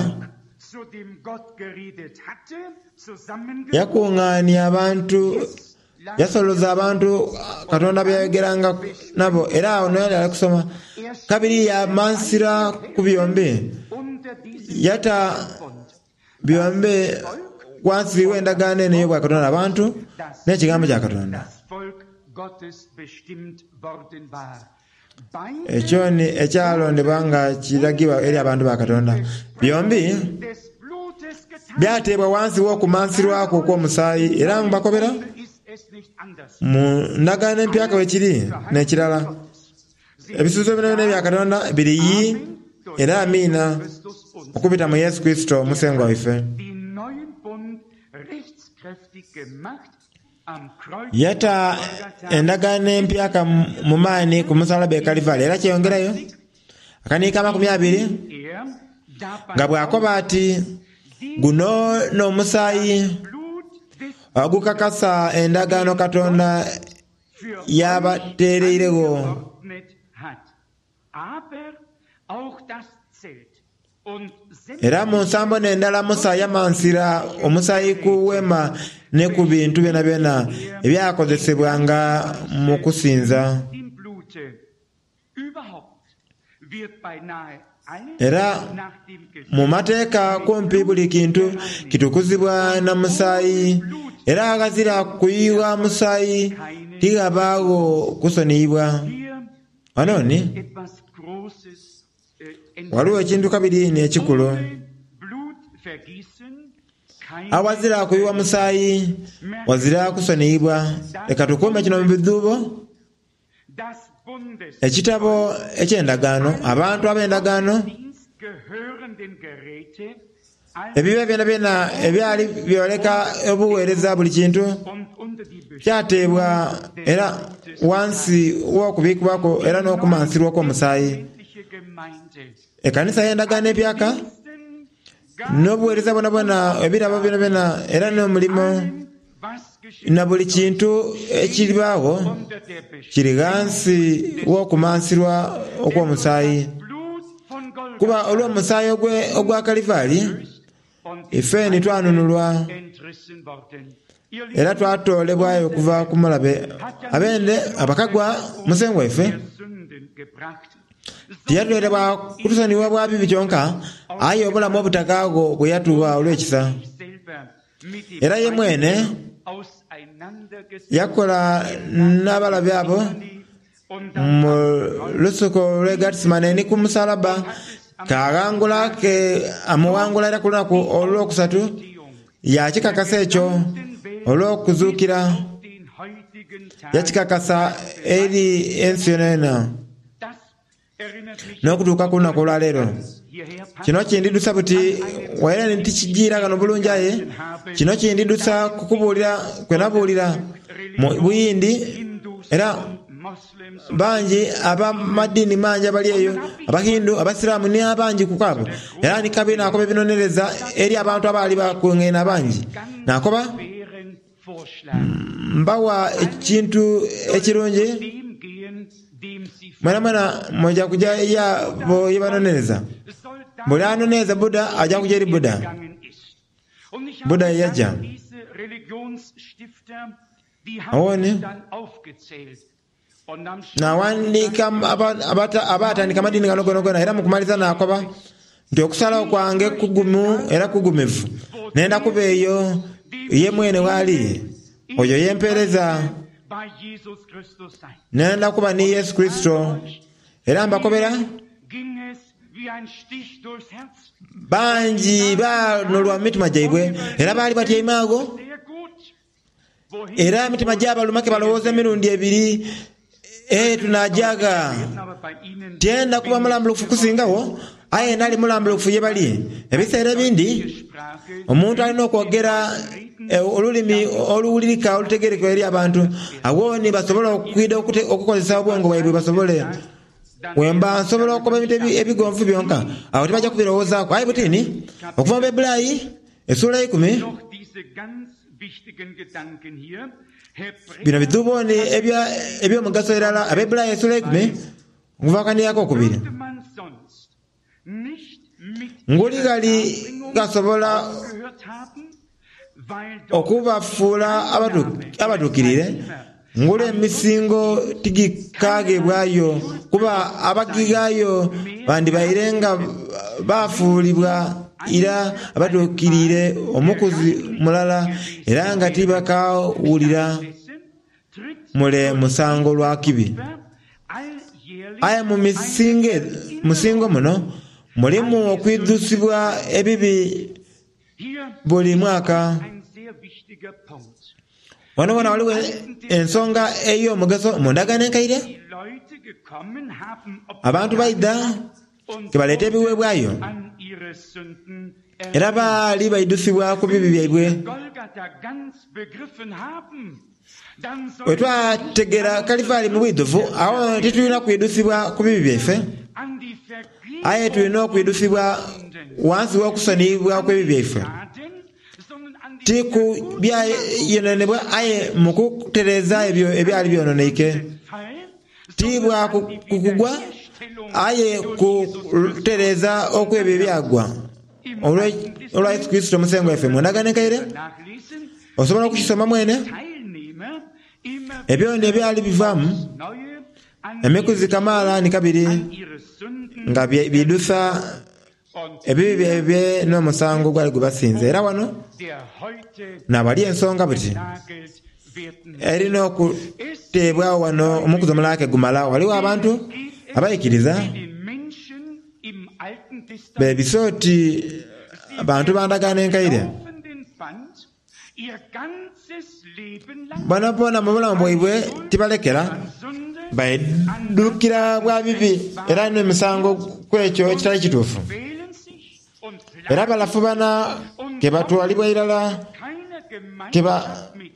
yakungaania abantu, yasoloza abantu Katonda be yayogeranga nabo, era agho n'oyali ali kusoma. Kabiri yaamansira ku byombi, yata byombi ghansi w'endagaano eno ey'obwakatonda, abantu n'Ekigambo kya Katonda. Ekyo ni ekyalondebwa nga kiragibwa eri abantu ba Katonda. Byombi byateebwa ghansi w'okumansirwaku okw'omusaayi. Era mbakobera, mu Ndagaano Empyaka bwe kiri n'ekirala. Ebisuubizo byonabyona ebya Katonda biri Yii era Amiina okubita mu Yesu Kurisito Musengwa waife. Yata endagaano empyaka mu maani ku musalaba e Kalivari. Era kyeyongerayo akaniiko amakumiabiri nga bw'akoba ati, Guno n'omusaayi ogukakasa endagaano Katonda y'abateereiregho. Era mu nsambo n'endala Musa yamansira omusaayi ku Weema ni ku bintu byonabyona ebyakozesebwanga mu kusinza. Era mu Mateeka kumpi buli kintu kitukuzibwa na musaayi, era aghazira kuyugha musaayi tighabaagho kusoniyibwa. Ghano ni ghaligho ekintu kabiri inho ekikulu. Aghazira kuyugha musaayi, ghazira kusoniyibwa. Leka tukuume kino mu bidhuubo. Ekitabo eky'Endagaano, abantu ab'endagaano, ebibe byonabyona ebyali byoleka obugheereza buli kintu kyateebwa era ghansi w'okubiikibwaku era n'okumansirwa okw'omusaayi. Ekanisa y'Endagaano Empyaka n'obugheereza bwonabwona, ebirabo byonabyona era n'omulimo na buli kintu ekiribaagho kiri ghansi w'okumansirwa okw'omusaayi. Kuba olw'omusaayi ogwa Kalivari, ife ni twanunulwa era twatoolebwayo okuva ku mulabe. Abende abakagwa Musengwa waife tiyatuleeta kutusonyiwa bwa bibi kyonka, aye obulamu obutakaagho bwe yatugha olw'ekisa. Era ye mwene yakola n'abalabe abo mu lusuku lw'e Gatisimane ni ku musalaba, kaaghangula ke amughangula era ku lunaku olwokusatu yaakikakasa ekyo olw'okuzuukira, yakikakasa eri ensi yonayona. N'okutuuka ku lunaku olwaleero. Kino kindidhusa buti waire ni tikijiira ghano bulungi aye kino kindidhusa ku kubuulira kwe nabuulira mu Buyindi era bangi ab'amadiini mangi abali eyo, Abahindu, Abasiraamu ni abangi ku abo. Era ni kabiri naakoba ebinonereza eri abantu abaali bakungaine abangi. Naakoba, Mbawa ekintu ekirungi, mwenamwena mwija kuja y'abo ye banonereza. Buli anonereza Buddha aja kuja eri Buddha. Buddha ye yaja. Agho ni. Nawandiika abaatandika amadiini gano gonagona era mu kumaliriza naakoba nti okusalagho kwange kugumu era kugumivu. Nenda kuba eyo ye mwene w'ali, oyo ye mpeereza. Nenda kuba ni Yesu Kurisito. Era mbakobera, bangi baanolwa mu mitima gyaibwe era baali batyaime agho. Era emitima gyabaluma ke balowooza emirundi ebiri, Ee, tunaaja gha? Tyenda kuba mulambulukufu kusingagho, aye nali mulambulukufu ye bali. Ebiseera ebindi omuntu alina okwogera olulimi oluwulirika olutegeerekeka eri abantu, agho ni basobola okwidha okukozesa obwongo bwaibwe basobole. Bwemba nsobola okukoba ebintu ebigonvu byonka, agho tibaja kubirowoozaaku. Aye buti ni, okuva mu Baibulai esuula eikumi, Bino bidhuubo ni eby'omugaso irala. Abaebbulaiya esula eikumi okuva ku kanhiriri akokubiri. Nguli ghali ghasobola okubafuula abatuukiriire, nguli emisingo tigikaagheebwayo, kuba abagighaayo bandibaire nga baafuulibwa ira abatuukiriire omukuzi mulala, era nga tibakaawulira mule musango lwa kibi. Aye mu misingo muno mulimu okwidhusibwa ebibi buli mwaka. Wano wona ghaligho ensonga ey'omugaso mu Ndagaano Enkaire. Abantu baidha ke baleeta ebiweebwayo era baali baidhusibwa ku bibi byaibwe. Bwe twategeera Kalivaali mu bwidhuvu, agho titulina kwidhusibwa ku bibi byaife, aye tulina okwidhusibwa ghansi w'okusoniyibwa kw'ebibi byaife. Ti ku byayononebwa aye mu kutereeza ebyo ebyali byononeike. Ti bwa kugwa aye kutereeza okw'ebyo ebyagwa olwa Yesu Kurisito Musengwa waife. Mu Ndagaano Enkaire osobola okukisoma mwene. Ebyo n'ebyali bivaamu emikuzi kamaala ni kabiri nga biidhusa Ebibi byaibwe n'omusango gwali gubasinze. Era wano naawali ensonga buti erina okuteebwagho wano omukuzi omulala ke gumala. Ghaligho abantu abaikiriza beebisa oti bantu ba ndagaano enkaire. Boonaboona mu bulamu bwaibwe tibalekera, baidhukira bwa bibi era n'emisango ku ekyo ekitali kituufu. Era balafubana ke batwalibwa irala,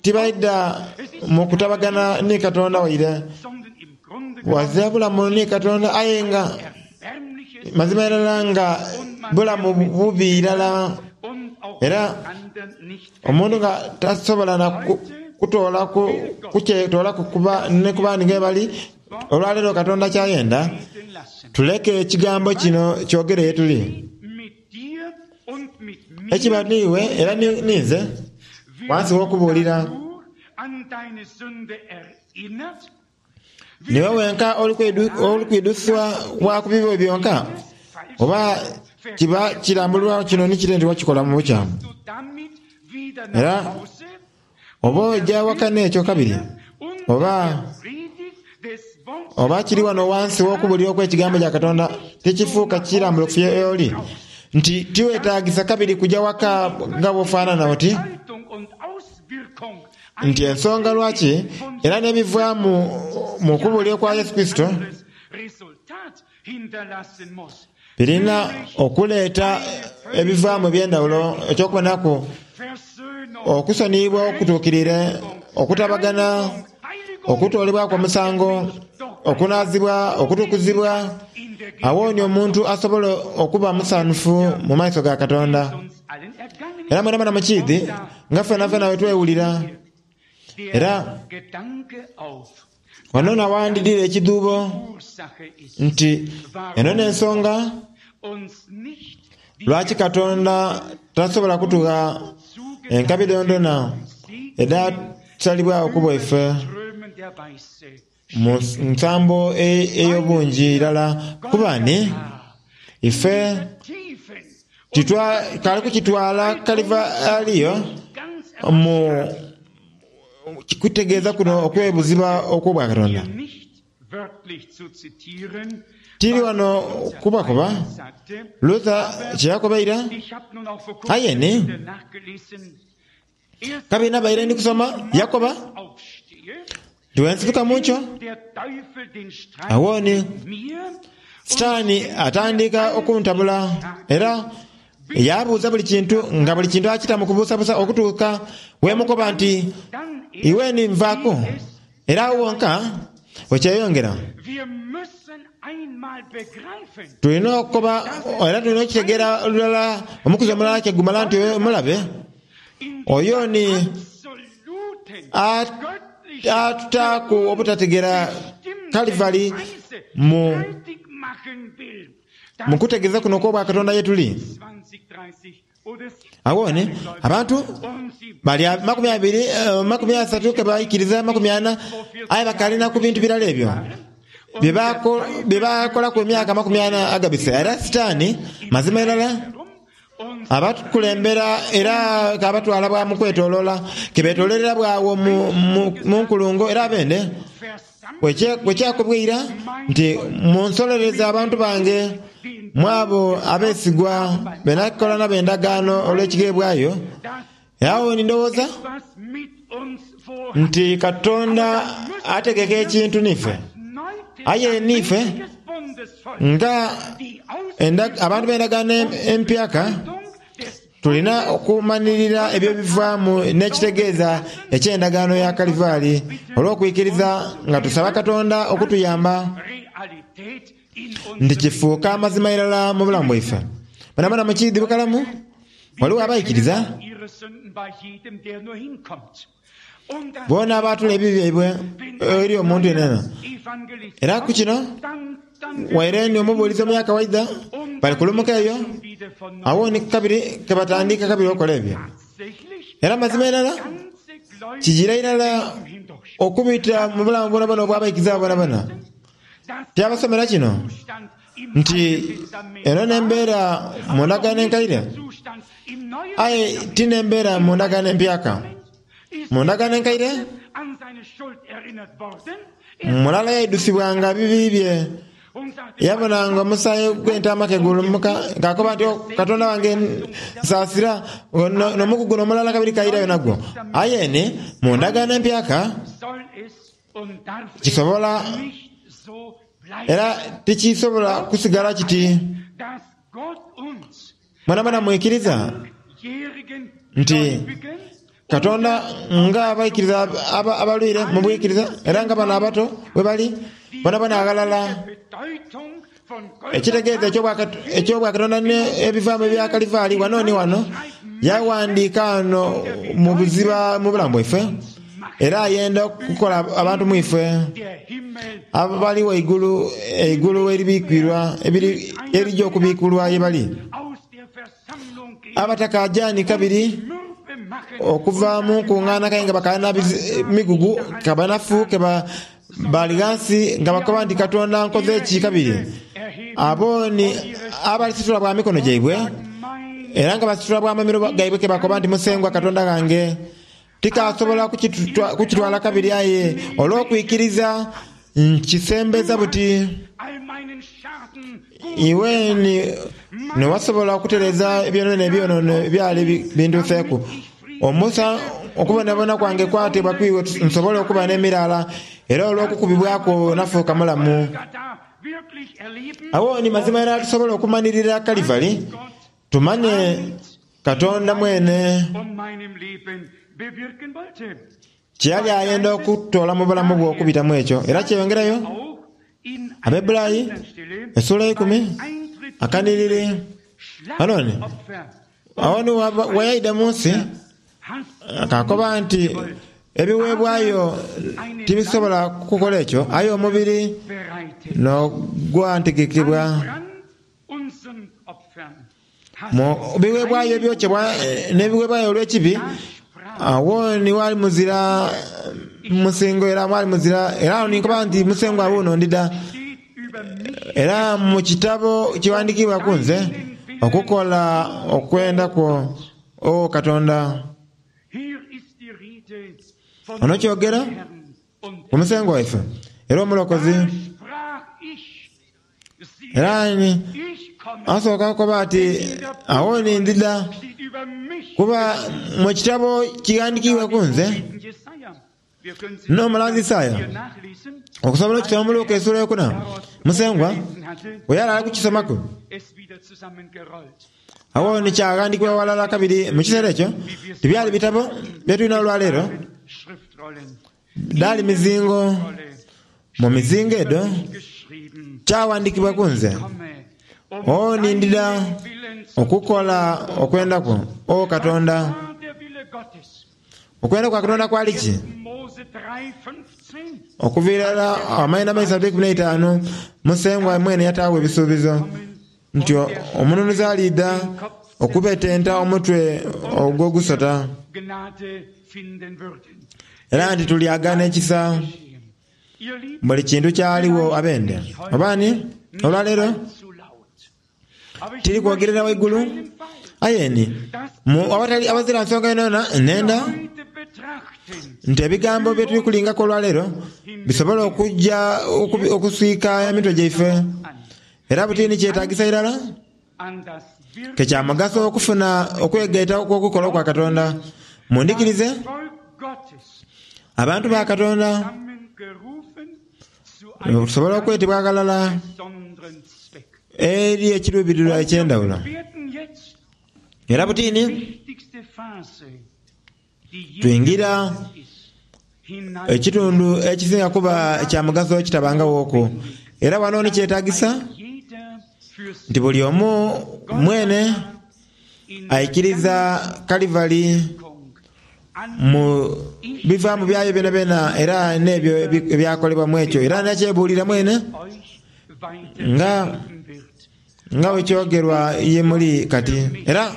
tibaidha mu kutabagana ni Katonda waire. Ghazira bulamu ni Katonda aye nga mazima irala nga bulamu bubi irala. Era omuntu nga tasobola na kutoolaku kukyetoolaku kuba ni ku bandi nga bali. Olwaleero Katonda ky'ayenda tuleke ekigambo kino kyogere ye tuli. Ekiba n'iwe era ninze wansi w'okubuulira. Niiwe wenka oli kwidhusibwa bwa ku bibi byonka, oba kiba kirambululwa kino ni kire nti wakikola mu bukyamu? Era oba oja waka n'ekyo kabiri, oba oba kiri wano wansi w'okubulira okw'Ekigambo kya Katonda, tikifuuka kirambulukufu y'oli nti tiwetagisa kabiri kuja waka nga bw'ofaanana oti. Nti ensonga lwaki era n'ebivaamu mu kubuulira kwa Yesu Kurisito birina okuleeta ebivaamu eby'endhawulo, eky'okubonaku, okusoniyibwa okutuukiriire, okutabagana, okutoolebwaku omusango, okunaazibwa, okutukuzibwa. Agho ni omuntu asobola okuba musanhufu mu maiso ga Katonda. Era mwenamwena mukiidhi nga fenafena bwe twewulira. Era wano nawandidhira ekidhuubo nti eno n'ensonga lwaki Katonda tasobola kutugha enkabi dhoonadhoona edhasalibwagho ku bwaife. Mu nsambo ey'obungi irala, kuba ni ife titwakali kukitwala Kalivaliyo mu kutegeeza kuno okw'ebuziba okw'Obwakatonda. Tiri wano kubakoba Luther kye yakoba eira, aye ni kabiri nabaire ndi kusoma yakoba nti bwensituka mu nkyo, agho ni Sitaani atandika okuntabula era yaabuuza buli kintu, nga buli kintu akita mu kubuusabuusa okutuuka wemukoba nti, Iwe ni nvaaku. Era agho wonka wekyeyongera. Tulina okukoba era tulina okukitegeera lulala omukuzi omulala kye gumala nti omulabe oyo ni atutaaku obutategeera Kalivali mu mu kutegeeza kuno okw'Obwakatonda ye tuli. Agho ni abantu bali 20, 30 ke baikiriza, 40, aye bakaali na ku bintu birala ebyo bye baakolaku emyaka 40 agabise. Era Sitaani, mazima irala, abakulembera era k'abatwala bwa mu kwetoloola, ke beetooloolera bw'agho mu nkulungo. Era abende bwe kyakobwa eira nti, Munsolereze abantu bange, mu abo abeesigwa be nakola nabo endagaano olw'ekigheebwayo. Agho ni ndowooza nti Katonda ategeka ekintu n'ife. Aye n'ife nga abantu b'endagaano empyaka, tulina okumanhirira ebyo ebivaamu n'ekitegeeza eky'endagaano ya Kalivaali olw'okwikiriza nga tusaba Katonda okutuyamba nti kifuuka amazima irala mu bulamu bwaife. Bwenabwena mukiidhi bukalamu, ghaligho abaikiriza boona abaatula ebibi byaibwe eri omuntu yenayena. Era ku kino, waire ni omubuulizi omuyaka waidha, bali kulumuka eyo, agho ni kabiri ke batandiika kabiri okola ebyo. Era mazima irala, kijiira irala okubita mu bulamu bwonabwona obw'abaikiriza abo bonabona. Tyabasomera kino nti eno n'embeera mu Ndagaano Enkaire, aye ti n'embeera mu Ndagaano Empyaka. Mu Ndagaano Enkaire, mulala yaidhusibwanga bibi bye, yabonanga omusaayi gw'entaama ke gulumuka, ng'akoba nti, O Katonda wange, nsaasira. N'omugugu guno omulala kabiri kairayo nagwo. Aye ni mu Ndagaano Empyaka, Kisobola era tikisobola kusigala kiti. Mwenamwena mwikiriza nti Katonda nga abaikiriza abalwire mu bwikiriza era nga bano abato bwe bali, bonabona aghalala. Ekitegeeza eky'Obwakatonda n'ebivaamu ebya Kalivaali wano ni wano, yawandiika ghano mu buziba mu bulamu bwaife, era ayenda okukola abantu mu ife abali waigulu eigulu eribikwirwa erija okubikulwa ye bali. Abatakaajani kabiri okuva mu nkungaana kale nga bakaali na migugu ka banafu ke Bali ghansi nga bakoba nti, Katonda nkoze ki kabiri? Abo ni abalisitula bwa mikono gyaibwe, era nga basitula bwa mamiro gaibwe ke bakoba nti, Musengwa Katonda ghange, tikaasobola kukitwala kabiri, aye olw'okwikiriza nkisembeza buti. Iwe ni wasobola okutereeza ebyonono ebyonoono ebyali bintuuseeku. Omusa, okubonabona kwange kwateebwa ku iwe nsobole okuba n'emiraala, era olw'okukubibwa kwo nafuuka mulamu. Agho ni mazima irala tusobola okumanhirira Kalivari, tumanhe Katonda mwene kye yali ayenda okutoola mu bulamu bwo okubita mu ekyo. Era kyeyongerayo. Abeburayi esula eikumi akanhiriri. Ghano ni Agho ni bwe yaidha mu nsi, akaakoba nti, Ebiweebwayo tibisobola kukola ekyo, aye omubiri n'ogwantegekebwa. Mu bigheebwayo ebyokyebwa n'ebigheebwayo olw'ekibi, agho ni ghali muzira. musingo era mwali muzira. Era agho ni nkoba nti, Musengwa wuuno ndidha. Era mu kitabo kighandikiibwa ku nze okukola okwenda kwo, O Katonda. Ono kyogera ku Musengwa waife era Omulokozi. Era ni asooka kukoba ati, Agho ni ndidha, kuba mu kitabo kighandikiibwa ku nze n'omulanzi Isaia. Okusobola okukisoma mu Luka esula eyokuna, Musengwa bwe yali ali kukisomaku, agho ni kyaghandiikibwa ghalala kabiri. Mu kiseera ekyo tibyali bitabo bye tulina olwaleero, dhaali mizingo. Mu mizingo edho kyaghandiikibwa ku nze, O ni ndidha okukola okwenda kwo, O Katonda. Okwenda kwa Katonda kwali ki? Okuva irala amaina amaisatu eikumi n'eitaanu, Musengwa mwene yataagho ebisuubizo nti Omununuzi aliidha okubetenta omutwe ogw'ogusota, era nti tulyagaana ekisa. Buli kintu kyaligho abende. Oba ni, olwaleero Tiri kwogerera waigulu, aye ni mu awatali awazira nsonga yonayona nenda nti ebigambo bye tuli kulingaku olwaleero bisobole okuja okuswika emitwe gyaife. Era buti ni kyetagisa irala ke kya mugaso okufuna okwegaita okw'okukola okwa Katonda. Mundhikirize, abantu ba Katonda, Tusobola okwetebwa aghalala eri ekiruubirirwa eky'endhawulo. Era butini twingira ekitundu ekisinga kuba kya mugaso ekitabangawoku. Era wano ni kyetagisa nti buli omu mwene aikiriza Kalivari mu bivaamu byayo byonabyona era n'ebyo ebyakolebwa mu ekyo. Era nakyebuulira mwene nga nga bwe kyogerwa ye muli kati. Era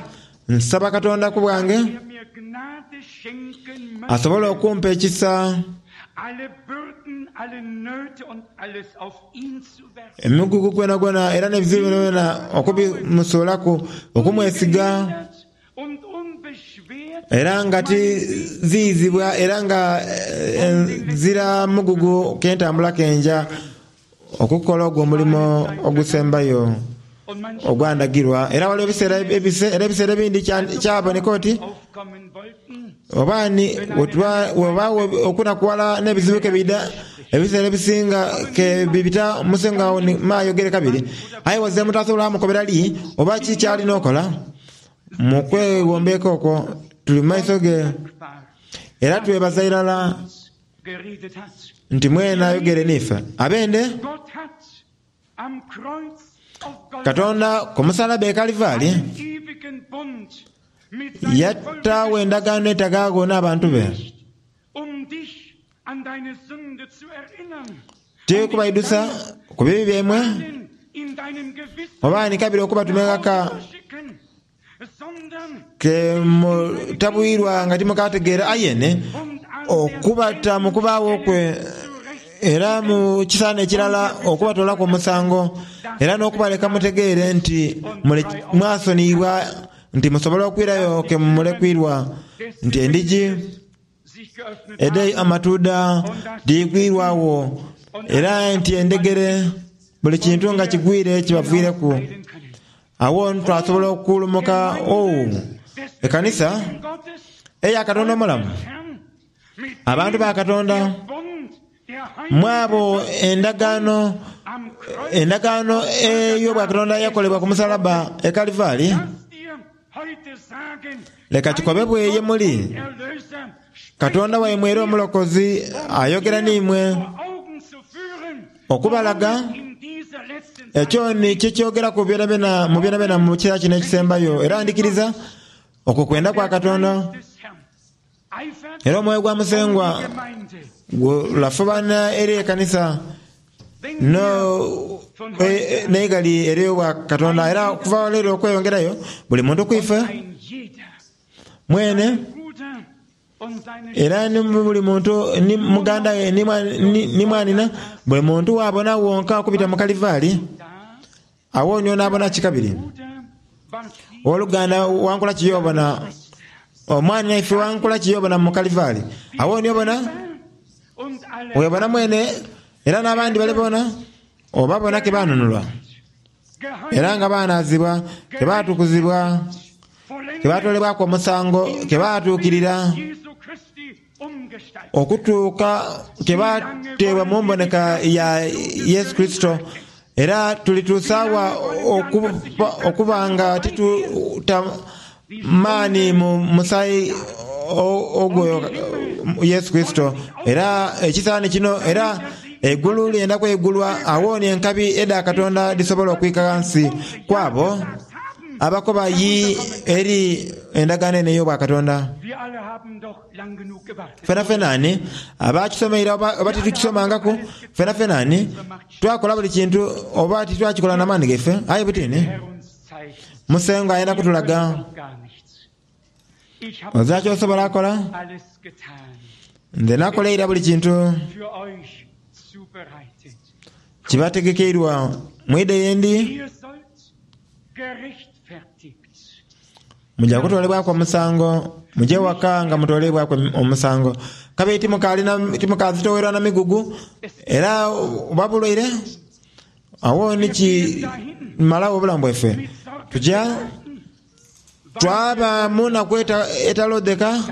nsaba Katonda ku bwange asobole okumpa ekisa emigugu gwonagwona era n'ebizibu byonabyona okubimusuulaku, okumwesiga. Era nga tiziyizibwa era nga nzira mugugu k'entambula ke nja okukola ogwo omulimo ogusembayo ogwandagirwa. Era waliwo ebiseera era ebiseera ebindi kyaboneka oti oba ni webaawo okunakuwala n'ebizibu ke biidha, ebiseera ebisinga ke bibita Musengwa agho ni maayogere kabiri. Aye waze mutasobola mukobera li oba ki ky'alina okola. Mu kweghombeeka okwo tuli mu maiso ge, era twebaza irala nti mwene ayogere n'ife. Abende, Katonda ku musalaba e Kalivari yataagho endagaano etagaagho n'abantu be. Ti kubaidhusa ku bibi byaimwe, oba ni kabiri okubatuma eghaka ke mutabwirwa nga timukaategeera, aye ni okubata mu kubaagho kwe era mu kisaana ekirala okubatoolaku omusango, era n'okubaleka mutegeere nti mwasoniyibwa, nti musobola okwirayo ke mulekwirwa, nti endhigi Edh'amatuudha dhiigwirwagho, era nti endhegere, buli kintu nga kigwire kibaviireku. Agho ni twasobola okulumuka. Oh, ekanisa eya Katonda omulamu, abantu ba Katonda, mu abo endagaano, endagaano ey'obwakatonda eyakolebwa ku musalabba e Kalivari, Leka kikobebwe ye muli, Katonda waimwe era Omulokozi ayogera n'imwe okubalaga ekyo ni kye kyogeraku byonabyona mu byonabyona mu kiseera kino ekisembayo. Era ndhikiriza okwo kwenda kwa Katonda. Era omwoyo gwa Musengwa gulafubana eri ekanisa n'eighali ery'obwa Katonda. Era okuva leero okweyongerayo, buli muntu ku ife mwene. Era ni buli muntu ni muganda we ni mwanhina, buli muntu waabona wonka okubita mu Kalivaali, agho ni onaabona ki kabiri? Owoluganda wankola ki y'obona? Omwanhina ife wankola ki y'obona mu Kalivaali? Agho ni obona, webona mwene era n'abandi bale boona, obabona ke baanunulwa. Era nga baanaazibwa, ke baatukuzibwa, ke baatoolebwaku omusango, ke baatuukirira okutuuka ke baateebwa mu mboneka ya Yesu Kurisito. Era tulituusa wa okuba nga tituta maani mu musaayi ogwo Yesu Kurisito? Era ekisaani kino, era eigulu lyenda kweigulwa, agho ni enkabi edha Katonda dhisobola okwika ghansi ku abo abakoba yii eri endagaano eno ey'obwakatonda. Fenafena ani abaakisomeire oba titukisomangaku? Fenafena ani twakola buli kintu oba titwakikola na maani gaife? Aye buti ni Musengwa ayenda kutulaga. Ozira ky'osobola kola. Nze nakola ira buli kintu. Kibategekeirwa mwidhe ye ndi. Muja kutoolebwaku omusango, muje ewaka nga mutoleibwaku omusango. Kabiri timukaazitowerwa na migugu, era oba bulwaire, agho ni kimalagho obulamu bwaife. Tuja twaba mu naku etaloodheka,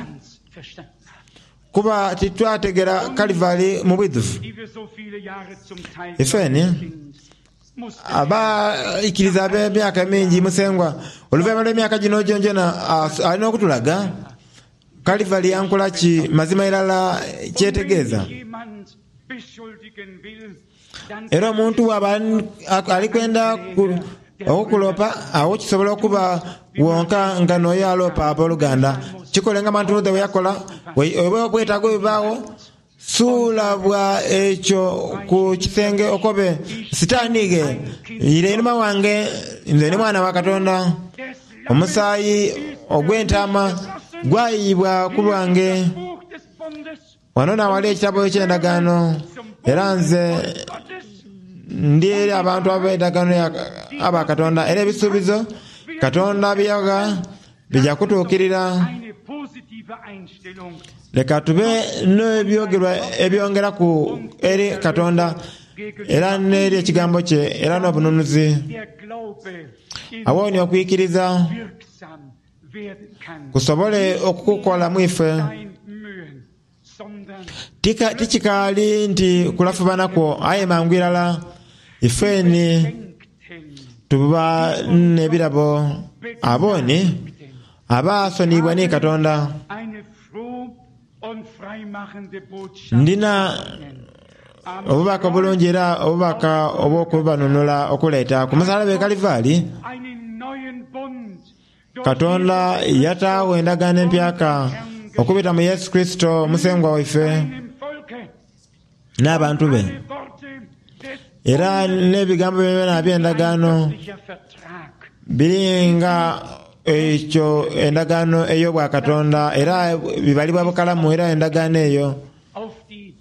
kuba titwategera Kalivari mu bwidhuvu. Ifeni Abaikiriza ab'emyaka emingi, Musengwa, oluvainhuma lw'emyaka gino gyonagyona, ali n'okutulaga Kalivari yankola ki mazima irala ky'etegeeza. Era omuntu bw'aba ali kwenda okukuloopa, agho kisobola okuba wonka nga n'oyo aloopa aboluganda. Kikole nga Martin Luther bwe yakola, oba obwetaago bwe bubaagho, Suula bwa ekyo ku kisenge okobe, Sitaani ghe, ira einhuma wange, nze ndi mwana wa Katonda. Omusaayi ogw'entaama gwayiyibwa ku lwange. Wano n'awali ekitabo eky'endagaano, era nze ndi eri abantu ab'endagaano aba Katonda, era ebisuubizo Katonda bye yagha bija kutuukirira. Leka tube n'ebyogerwa ebyongeraku eri Katonda era n'eri Ekigambo kye era n'obununuzi. Agho ni okwikiriza kusobole okukola mu ife. Tikikaali nti kulafubana kwo, aye mangu irala ife ni tuba n'ebirabo. Abo ni abaasoniyibwa ni Katonda. Ndina obubaka obulungi era obubaka obw'okubanunula okuleeta ku musalaba e Kalivaali. Katonda yataagho endagaano empyaka okubita mu Yesu Kurisito Musengwa waife n'abantu be. Era n'ebigambo byonabyona eby'endagaano biri nga ekyo endagaano ey'obwakatonda era bibalibwa bukalamu era endagaano eyo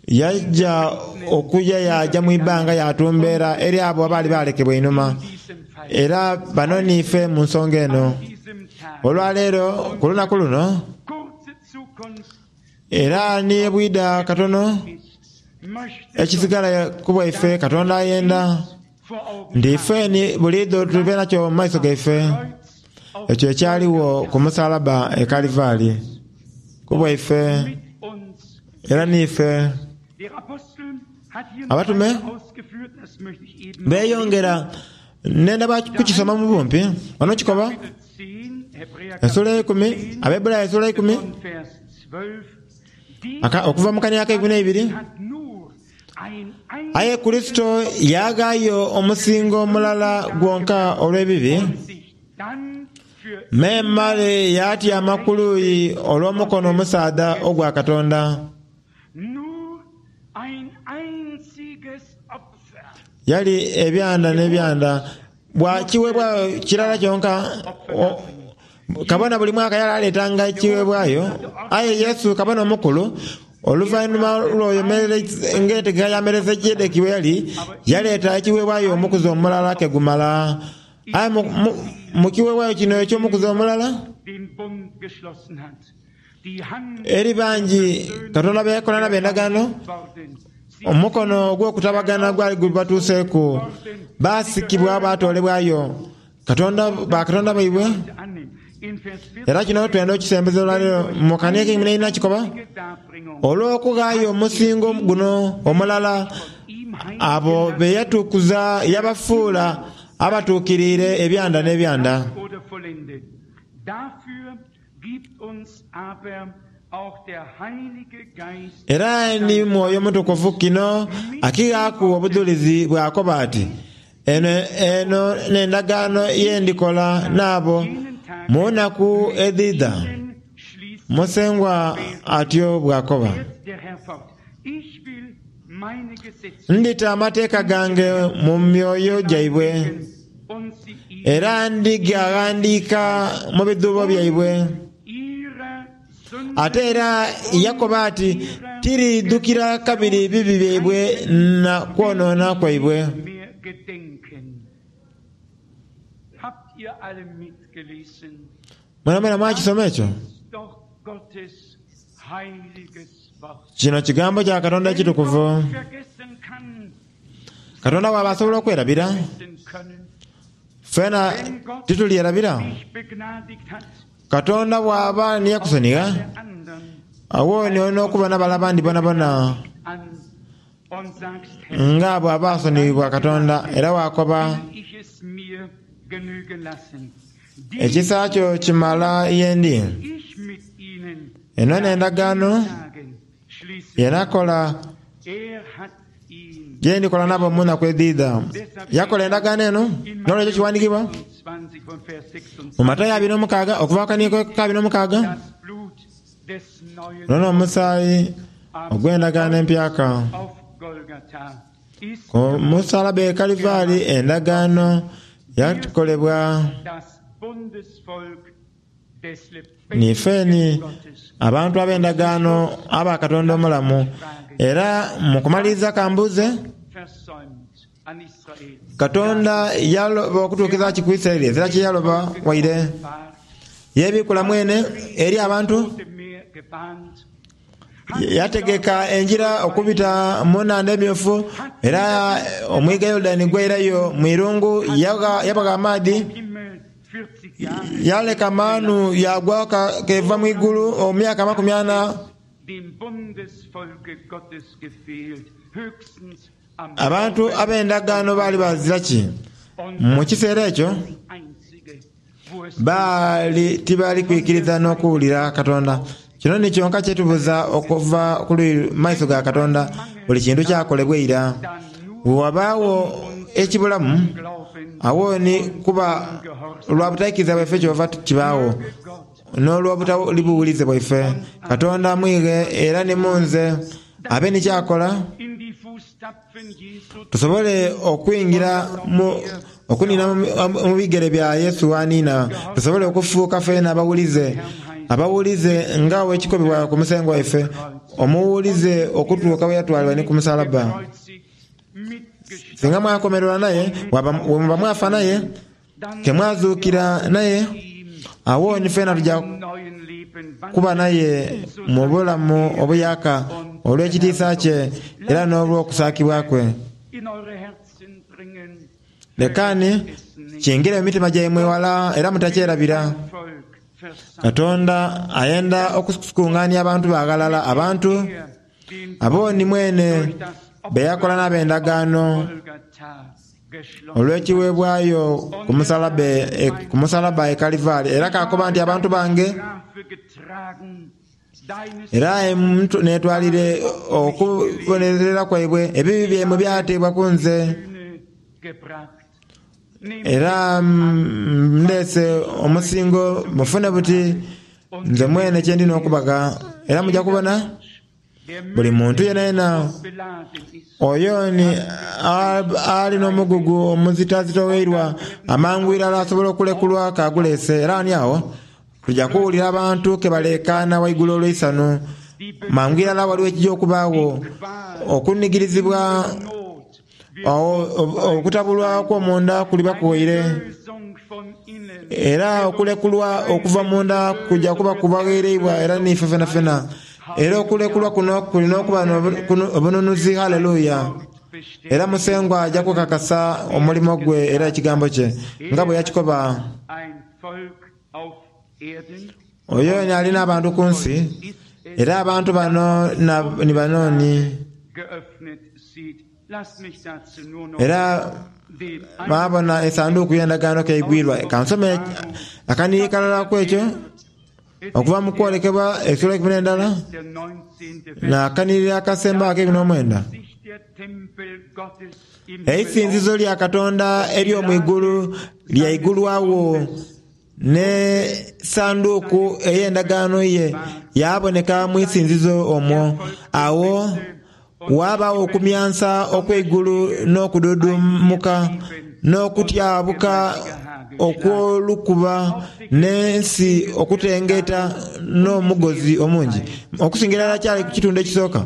Yaja okuja yaaja mu ibbanga yaatumbeera eri abo abaali baalekebwa einhuma. Era bano niife mu nsonga eno. Olwaleero, ku lunaku luno, era ni bwidha katono, ekisigala ku bwaife, Katonda ayenda nti ife ni buliidho tube nakyo mu maiso gaife, ekyo ekyaligho ku musalaba e Kalivaali, ku bwaife. Era n'ife Abatume beeyongera. Nnenda bwa kukisoma mu bumpi. Wano kikoba, esula eikumi, Abaebburayi esula eikumi, okuva mu kania ak'eikumi n'eibiri. Aye Kurisito yaaghaayo omusingo mulala gwonka olw'ebibi, Memale yaatyama ku luuyi olw'omukono omusaadha ogwa Katonda. Yali ebyanda n'ebyanda bwa kiweebwayo kirala kyonka. Kabona buli mwaka yali aleetanga ekiweebwayo, aye Yesu Kabona Omukulu, oluvainhuma lw'oyo ng'entegeka ya Melikisedeki bwe yali, yaleeta ekiweebwayo omukuzi omulala ke gumala. Aye mu kiweebwayo kino eky'omukuzi omulala, eri bangi Katonda be yakola nabo endagaano, omukono ogw'okutabagana gwali gubatuuseeku, baasikibwa baatoolebwayo Katonda, bakatonda baibwe. Era kino twenda okukisembeza olwaleero mu kania ekeikumi n'eina kikoba, Olw'okughaayo omusingo guno omulala, abo be yatukuza yabafuula abatuukiriire ebyanda n'ebyanda. Era ni Mwoyo Mutukuvu kino akighaaku obudhulizi bw'akoba ati, Eno, eno n'endagaano ye ndikola n'abo mu nnaku edhidha, Musengwa atyo bw'akoba. Ndita amateeka gange mu myoyo gyaibwe, era ndigaghandiika mu bidhuubo byaibwe. Ate era yakoba ati, Tiriidhukira kabiri bibi byaibwe na kwonoona kwaibwe. Mwenamwena mwakisoma ekyo? Kino Kigambo kya Katonda ekitukuvu. Katonda bw'aba asobola okwerabira, fena titulyerabira? Katonda bw'aba ni yakusonigha, agho ni oli n'okubona bale abandi bonabona nga bw'aba asoniyibwa Katonda, era waakoba, Ekisa kyo kimala ye ndi. Eno n'endagaano ye nakola, ye ndikola nabo mu naku edhidha. Yakola endagaano eno, n'olwekyo kiwandiikibwa mu Matayo 26, okuva ku kanhigo ka 26, Guno n'omusaayi ogw'endagaano empyaka. Ku musalaba e Kalivari endagaano yakolebwa. Niife ni abantu ab'endagaano aba Katonda omulamu. Era mu kumaliriza ka mbuuze, Katonda yaloba okutuukiriza ki ku Isiraeli? Ezira kye yaloba waire. Yeebiikula mwene eri abantu. Yategeka engira okubita mu Nhandha Emyufu, era omwiga Yorudani gwairayo mu irungu, yabagha amaadhi. Yaleka maanu yaagwa k'eva mu igulu emyaka amakumi ana. Abantu ab'endagaano baali bazira ki mu kiseera ekyo? Baali tibali kwikiriza n'okuwulira Katonda. Kino ni kyonka kye tubuza okuva ku maiso ga Katonda. Buli kintu kyakolebwa ira. Bwe wabaagho ekibulamu, agho ni kuba lwa butaikiriza bwaife kyova kibaagho, n'olw'obutali buwulize bwaife. Katonda mwighe era ni mu nze abe ni ky'akola. Tusobole okwingira mu, okuniina mu bigere bya Yesu w'aniina, tusobole okufuuka feena abawulize, abawulize nga bwe kikobebwa ku Musengwa waife, omuwulize okutuuka bwe yatwalibwa ni ku musalabba. Singa mwakomererwa naye, bwe muba mwafa naye, Ke mwazuukira naye, agho ni feena tuja kuba naye mu bulamu obuyaaka olw'ekitiisa kye era n'olw'okusaakibwa kwe. Leka ni kingire mu mitima gyaimwe ghala era mutakyerabira. Katonda ayenda okukungaania abantu be aghalala, abantu abo ni mwene be yakola n'ab'endagaano. Olw'ekiweebwayo ku musalaba e Kalivari. Era kaakoba nti, Abantu bange, era neetwalire okubonerera kwaibwe, ebibi byaimwe byateebwa ku nze. Era ndeese omusingo mufune buti nze mwene kye ndi n'okubagha. Era muja kubona. Buli muntu yenayena oyo ni ali n'omugugu omuzitazitoweirwa amangu irala asobola okulekulwa k'aguleese. Era ani agho? Tuja kuwulira abantu ke baleekaana waigulu olw'eisanhu. Mangu irala waliwo ekija okubaagho, okunigirizibwa, okutabulwa okw'omunda kuliba kuwaire. Era okulekulwa okuva munda kuja kuba kubagheereibwa era n'ife fenafena. Era okulekulwa kuno kulina okuba n'obununuzi. Haleluya! Era Musengwa aja kukakasa omulimo gwe era Ekigambo kye, nga bwe yakikoba. Oyo ni ali n'abantu ku nsi, era abantu bano ni bano ni. Era baabona Esanduuku y'Endagaano k'eigwirwa. Ka nsome akanhiriri kalala ku ekyo, okuva mu Kwolekebwa esula eikumi n'endala, n'akanhiriri akasemba ak'eikumi n'omwenda. Eisinzizo lya Katonda ery'omu igulu lyaigulwagho, n'esanduuku ey'endagaano ye yaaboneka mu isinzizo omwo. Agho waabagho okumyansa okw'eigulu n'okududumuka, n'okutyabuka okw'olukuba, n'ensi okutengeeta n'omugozi omungi. Okusingira irala kyali ku kitundu ekisooka.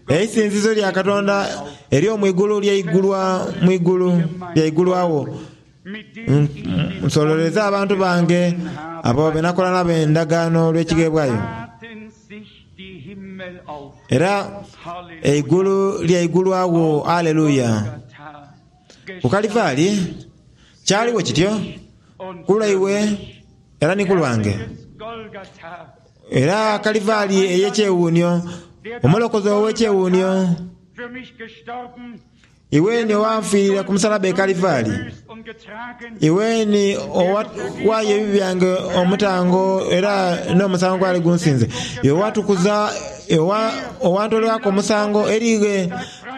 Eisinzizo lya Katonda ery'omu igulu lyaigulwa mu igulu, lyaigulwagho. Nsololeze abantu bange abo be nakola nabo endagaano olw'ekigheebwayo. Era eigulu lyaigulwagho. Aleluya! Ku Kalivaali, kyaligho kityo ku lwaibwe era ni ku lwange. Era Kalivaali ey'ekyewuunhio, Omulokozi ow'ekyewuunhio, Iwe ni owanfiirira ku musalaba e Kalivaali, iwe ni owaayo ebibi byange omutango era n'omusango gwali gunsinze. Iwe owatukuza, owantooleraku omusango eri ighe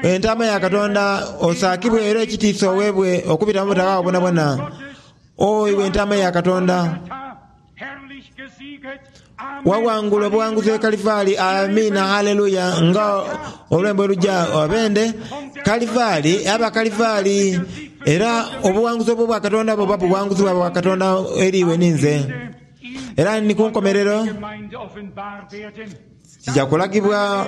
Entaama ya Katonda, osaakibwe era ekitiisa oweebwe okubita mu butaghaagho bwonabwona. O iwe Entaama ya Katonda! Waghangula obuwanguzi e Kalivaali, amiina, haleluya, nga olwembo oluja abende Kalivaali, aba Kalivaali. Era obuwanguzi obw'obwa Katonda buba buwanguzi bwa bwa Katonda eri iwe ninze. Era ni ku nkomerero kija kulagibwa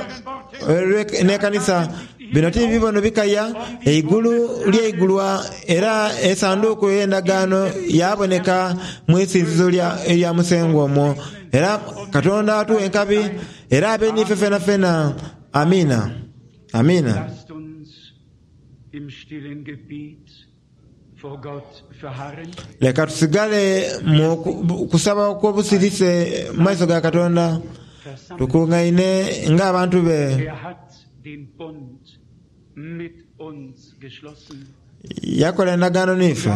n'ekanisa. Bino ti bibono bikaya, eigulu lyaigulwa era esanduuku ey'endagaano yaaboneka mu isinzizo erya Musengwa omwo. Era Katonda atughe enkabi era abe n'ife fenafena. Amiina. Amiina. Leka tusigale mu kusaba okw'obusirise mu maiso ga Katonda, tukungaine ng'abantu be. Yakola endagaano n'ife,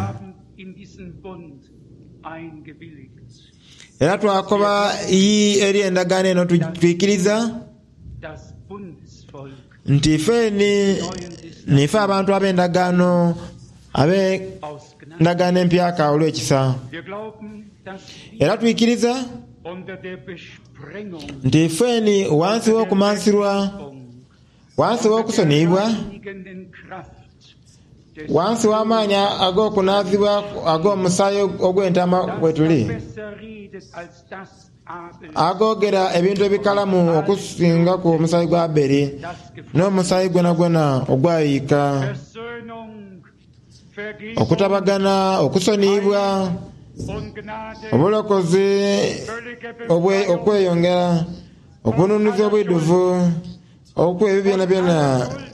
era twakoba yii eri endagaano eno twikiriza. Nti ife ni niife abantu ab'endagaano, ab'endagaano empyaka olw'ekisa. Era twikiriza nti ife ni ghansi w'okumansirwa, ghansi w'okusoniyibwa, ghansi w'amaani ag'okunaazibwa ag'omusaayi ogw'entaama bwetuli. Agoogera ebintu ebikalamu okusingaku omusaayi gwa Abeli n'omusaayi gwonagwona ogwayiika. Okutabagana, okusoniyibwa, obulokozi, okweyongera, okununuza obwidhuvu, okuwa ebyo byonabyona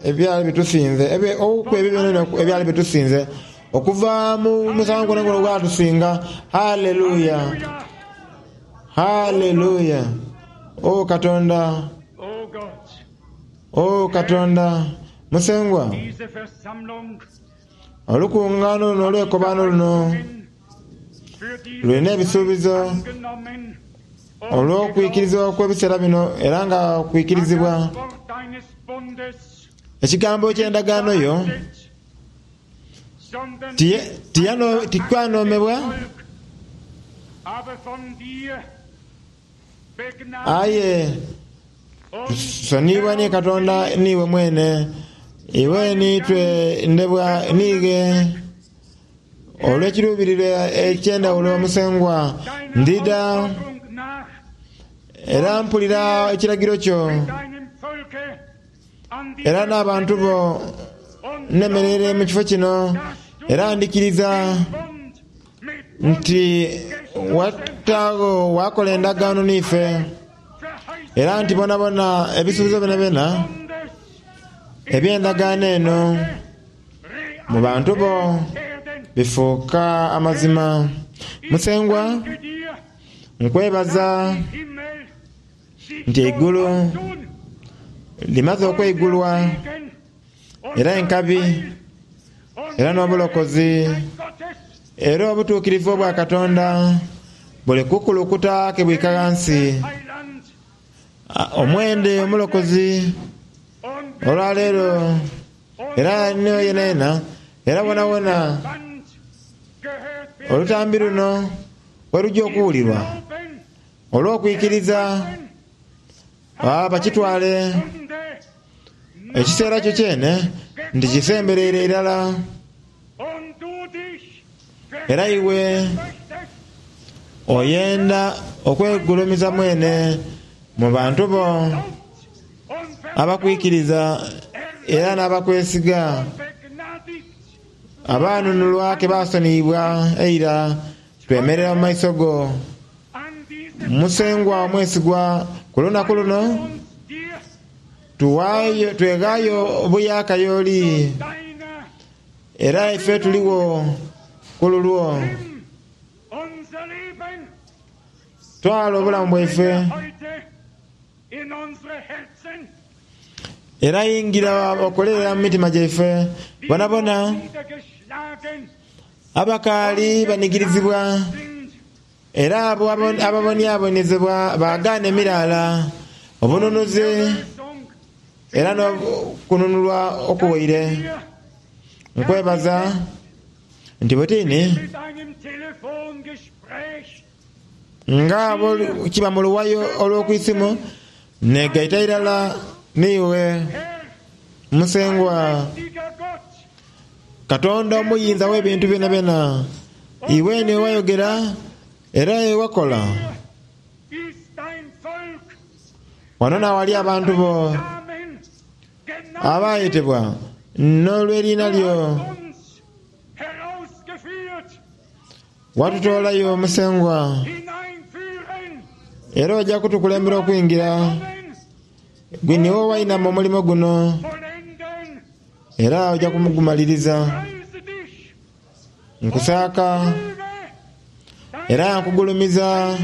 ebyali bitusinze, okuwa ebyo byonabyona ebyali bitusinze okuva mu musango gwonagwona ogwatusinga. Haleluya! Haleluya! O Katonda! O Katonda! Musengwa, olukungaano luno olw'ekobaano luno lulina ebisuubizo olw'okwikirizibwa okw'ebiseera bino era nga kwikirizibwa Ekigambo eky'endagaano yo tikwanhoomebwa, aye tusoniyibwa ni Katonda n'iwe mwene. Iwe ni twendebwa n'ighe. Olw'ekiruubirirwa eky'endhawulo Musengwa, ndidha era mpulira ekiragiro kyo era n'abantu bo nemereire mu kifo kino era ndhikiriza nti wataagho wakola endagaano n'ife era nti bonabona ebisuubizo byonabyona eby'endagaano eno mu bantu bo bifuuka amazima. Musengwa, nkwebaza nti eigulu limaze okweigulwa era enkabi era n'obulokozi era obutuukirivu obwa Katonda buli kukulukuta ke bwika ghansi. Omwende omulokozi olwaleero era yenayena era wonawona olutambi luno weluja okuwulirwa olw'okwikiriza bakitwale ekiseera kyo kyene nti kisembereire irala era iwe oyenda okwegulumiza mwene mu bantu bo abakwikiriza era n'abakwesiga abaanunulwa ke baasoniyibwa eira twemerera mu maiso go. Musengwa omwesigwa, ku lunaku luno tuwaayo tweghaayo obuyaaka y'oli era ife tuligho ku lulwo. Twala obulamu bwaife era yingira okolerera mu mitima gyaife bonabona abakaali banigirizibwa era abo ababoniabonezebwa baagaana emiraala, obununuzi era n'okununulwa okuwaire. Nkwebaza nti butini nga bwe kiba mu luwayo olw'okwisimu negaita irala n'iwe Musengwa Katonda omuyinza w'ebintu byonabyona. Iwe niiwe wayogera era iwe wakola. Wano n'awali abantu bo abaayetebwa n'olw'eriina lyo. Watutoolayo Musengwa era oja kutukulembera okwingira. Gwe niiwe owainama omulimo guno era oja kumugumaliriza. Nkusaaka era nkugulumiza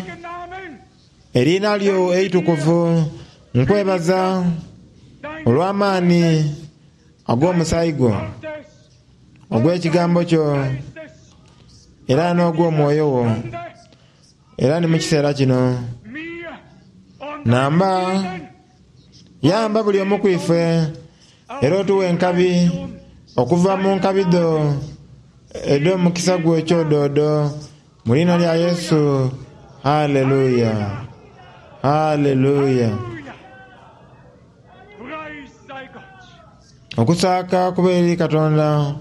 eriina lyo eitukuvu. Nkwebaza olw'amaani ag'omusaayi gwo, ogw'ekigambo kyo era n'ogw'omwoyo wo. Era ni mu kiseera kino namba yamba buli omu ku ife era otuwe enkabi okuva mu nkabi dho edh'omukisa gwo ekyodoodo mu liina lya Yesu. Haleluya! Haleluya! Okusaaka kube eri Katonda.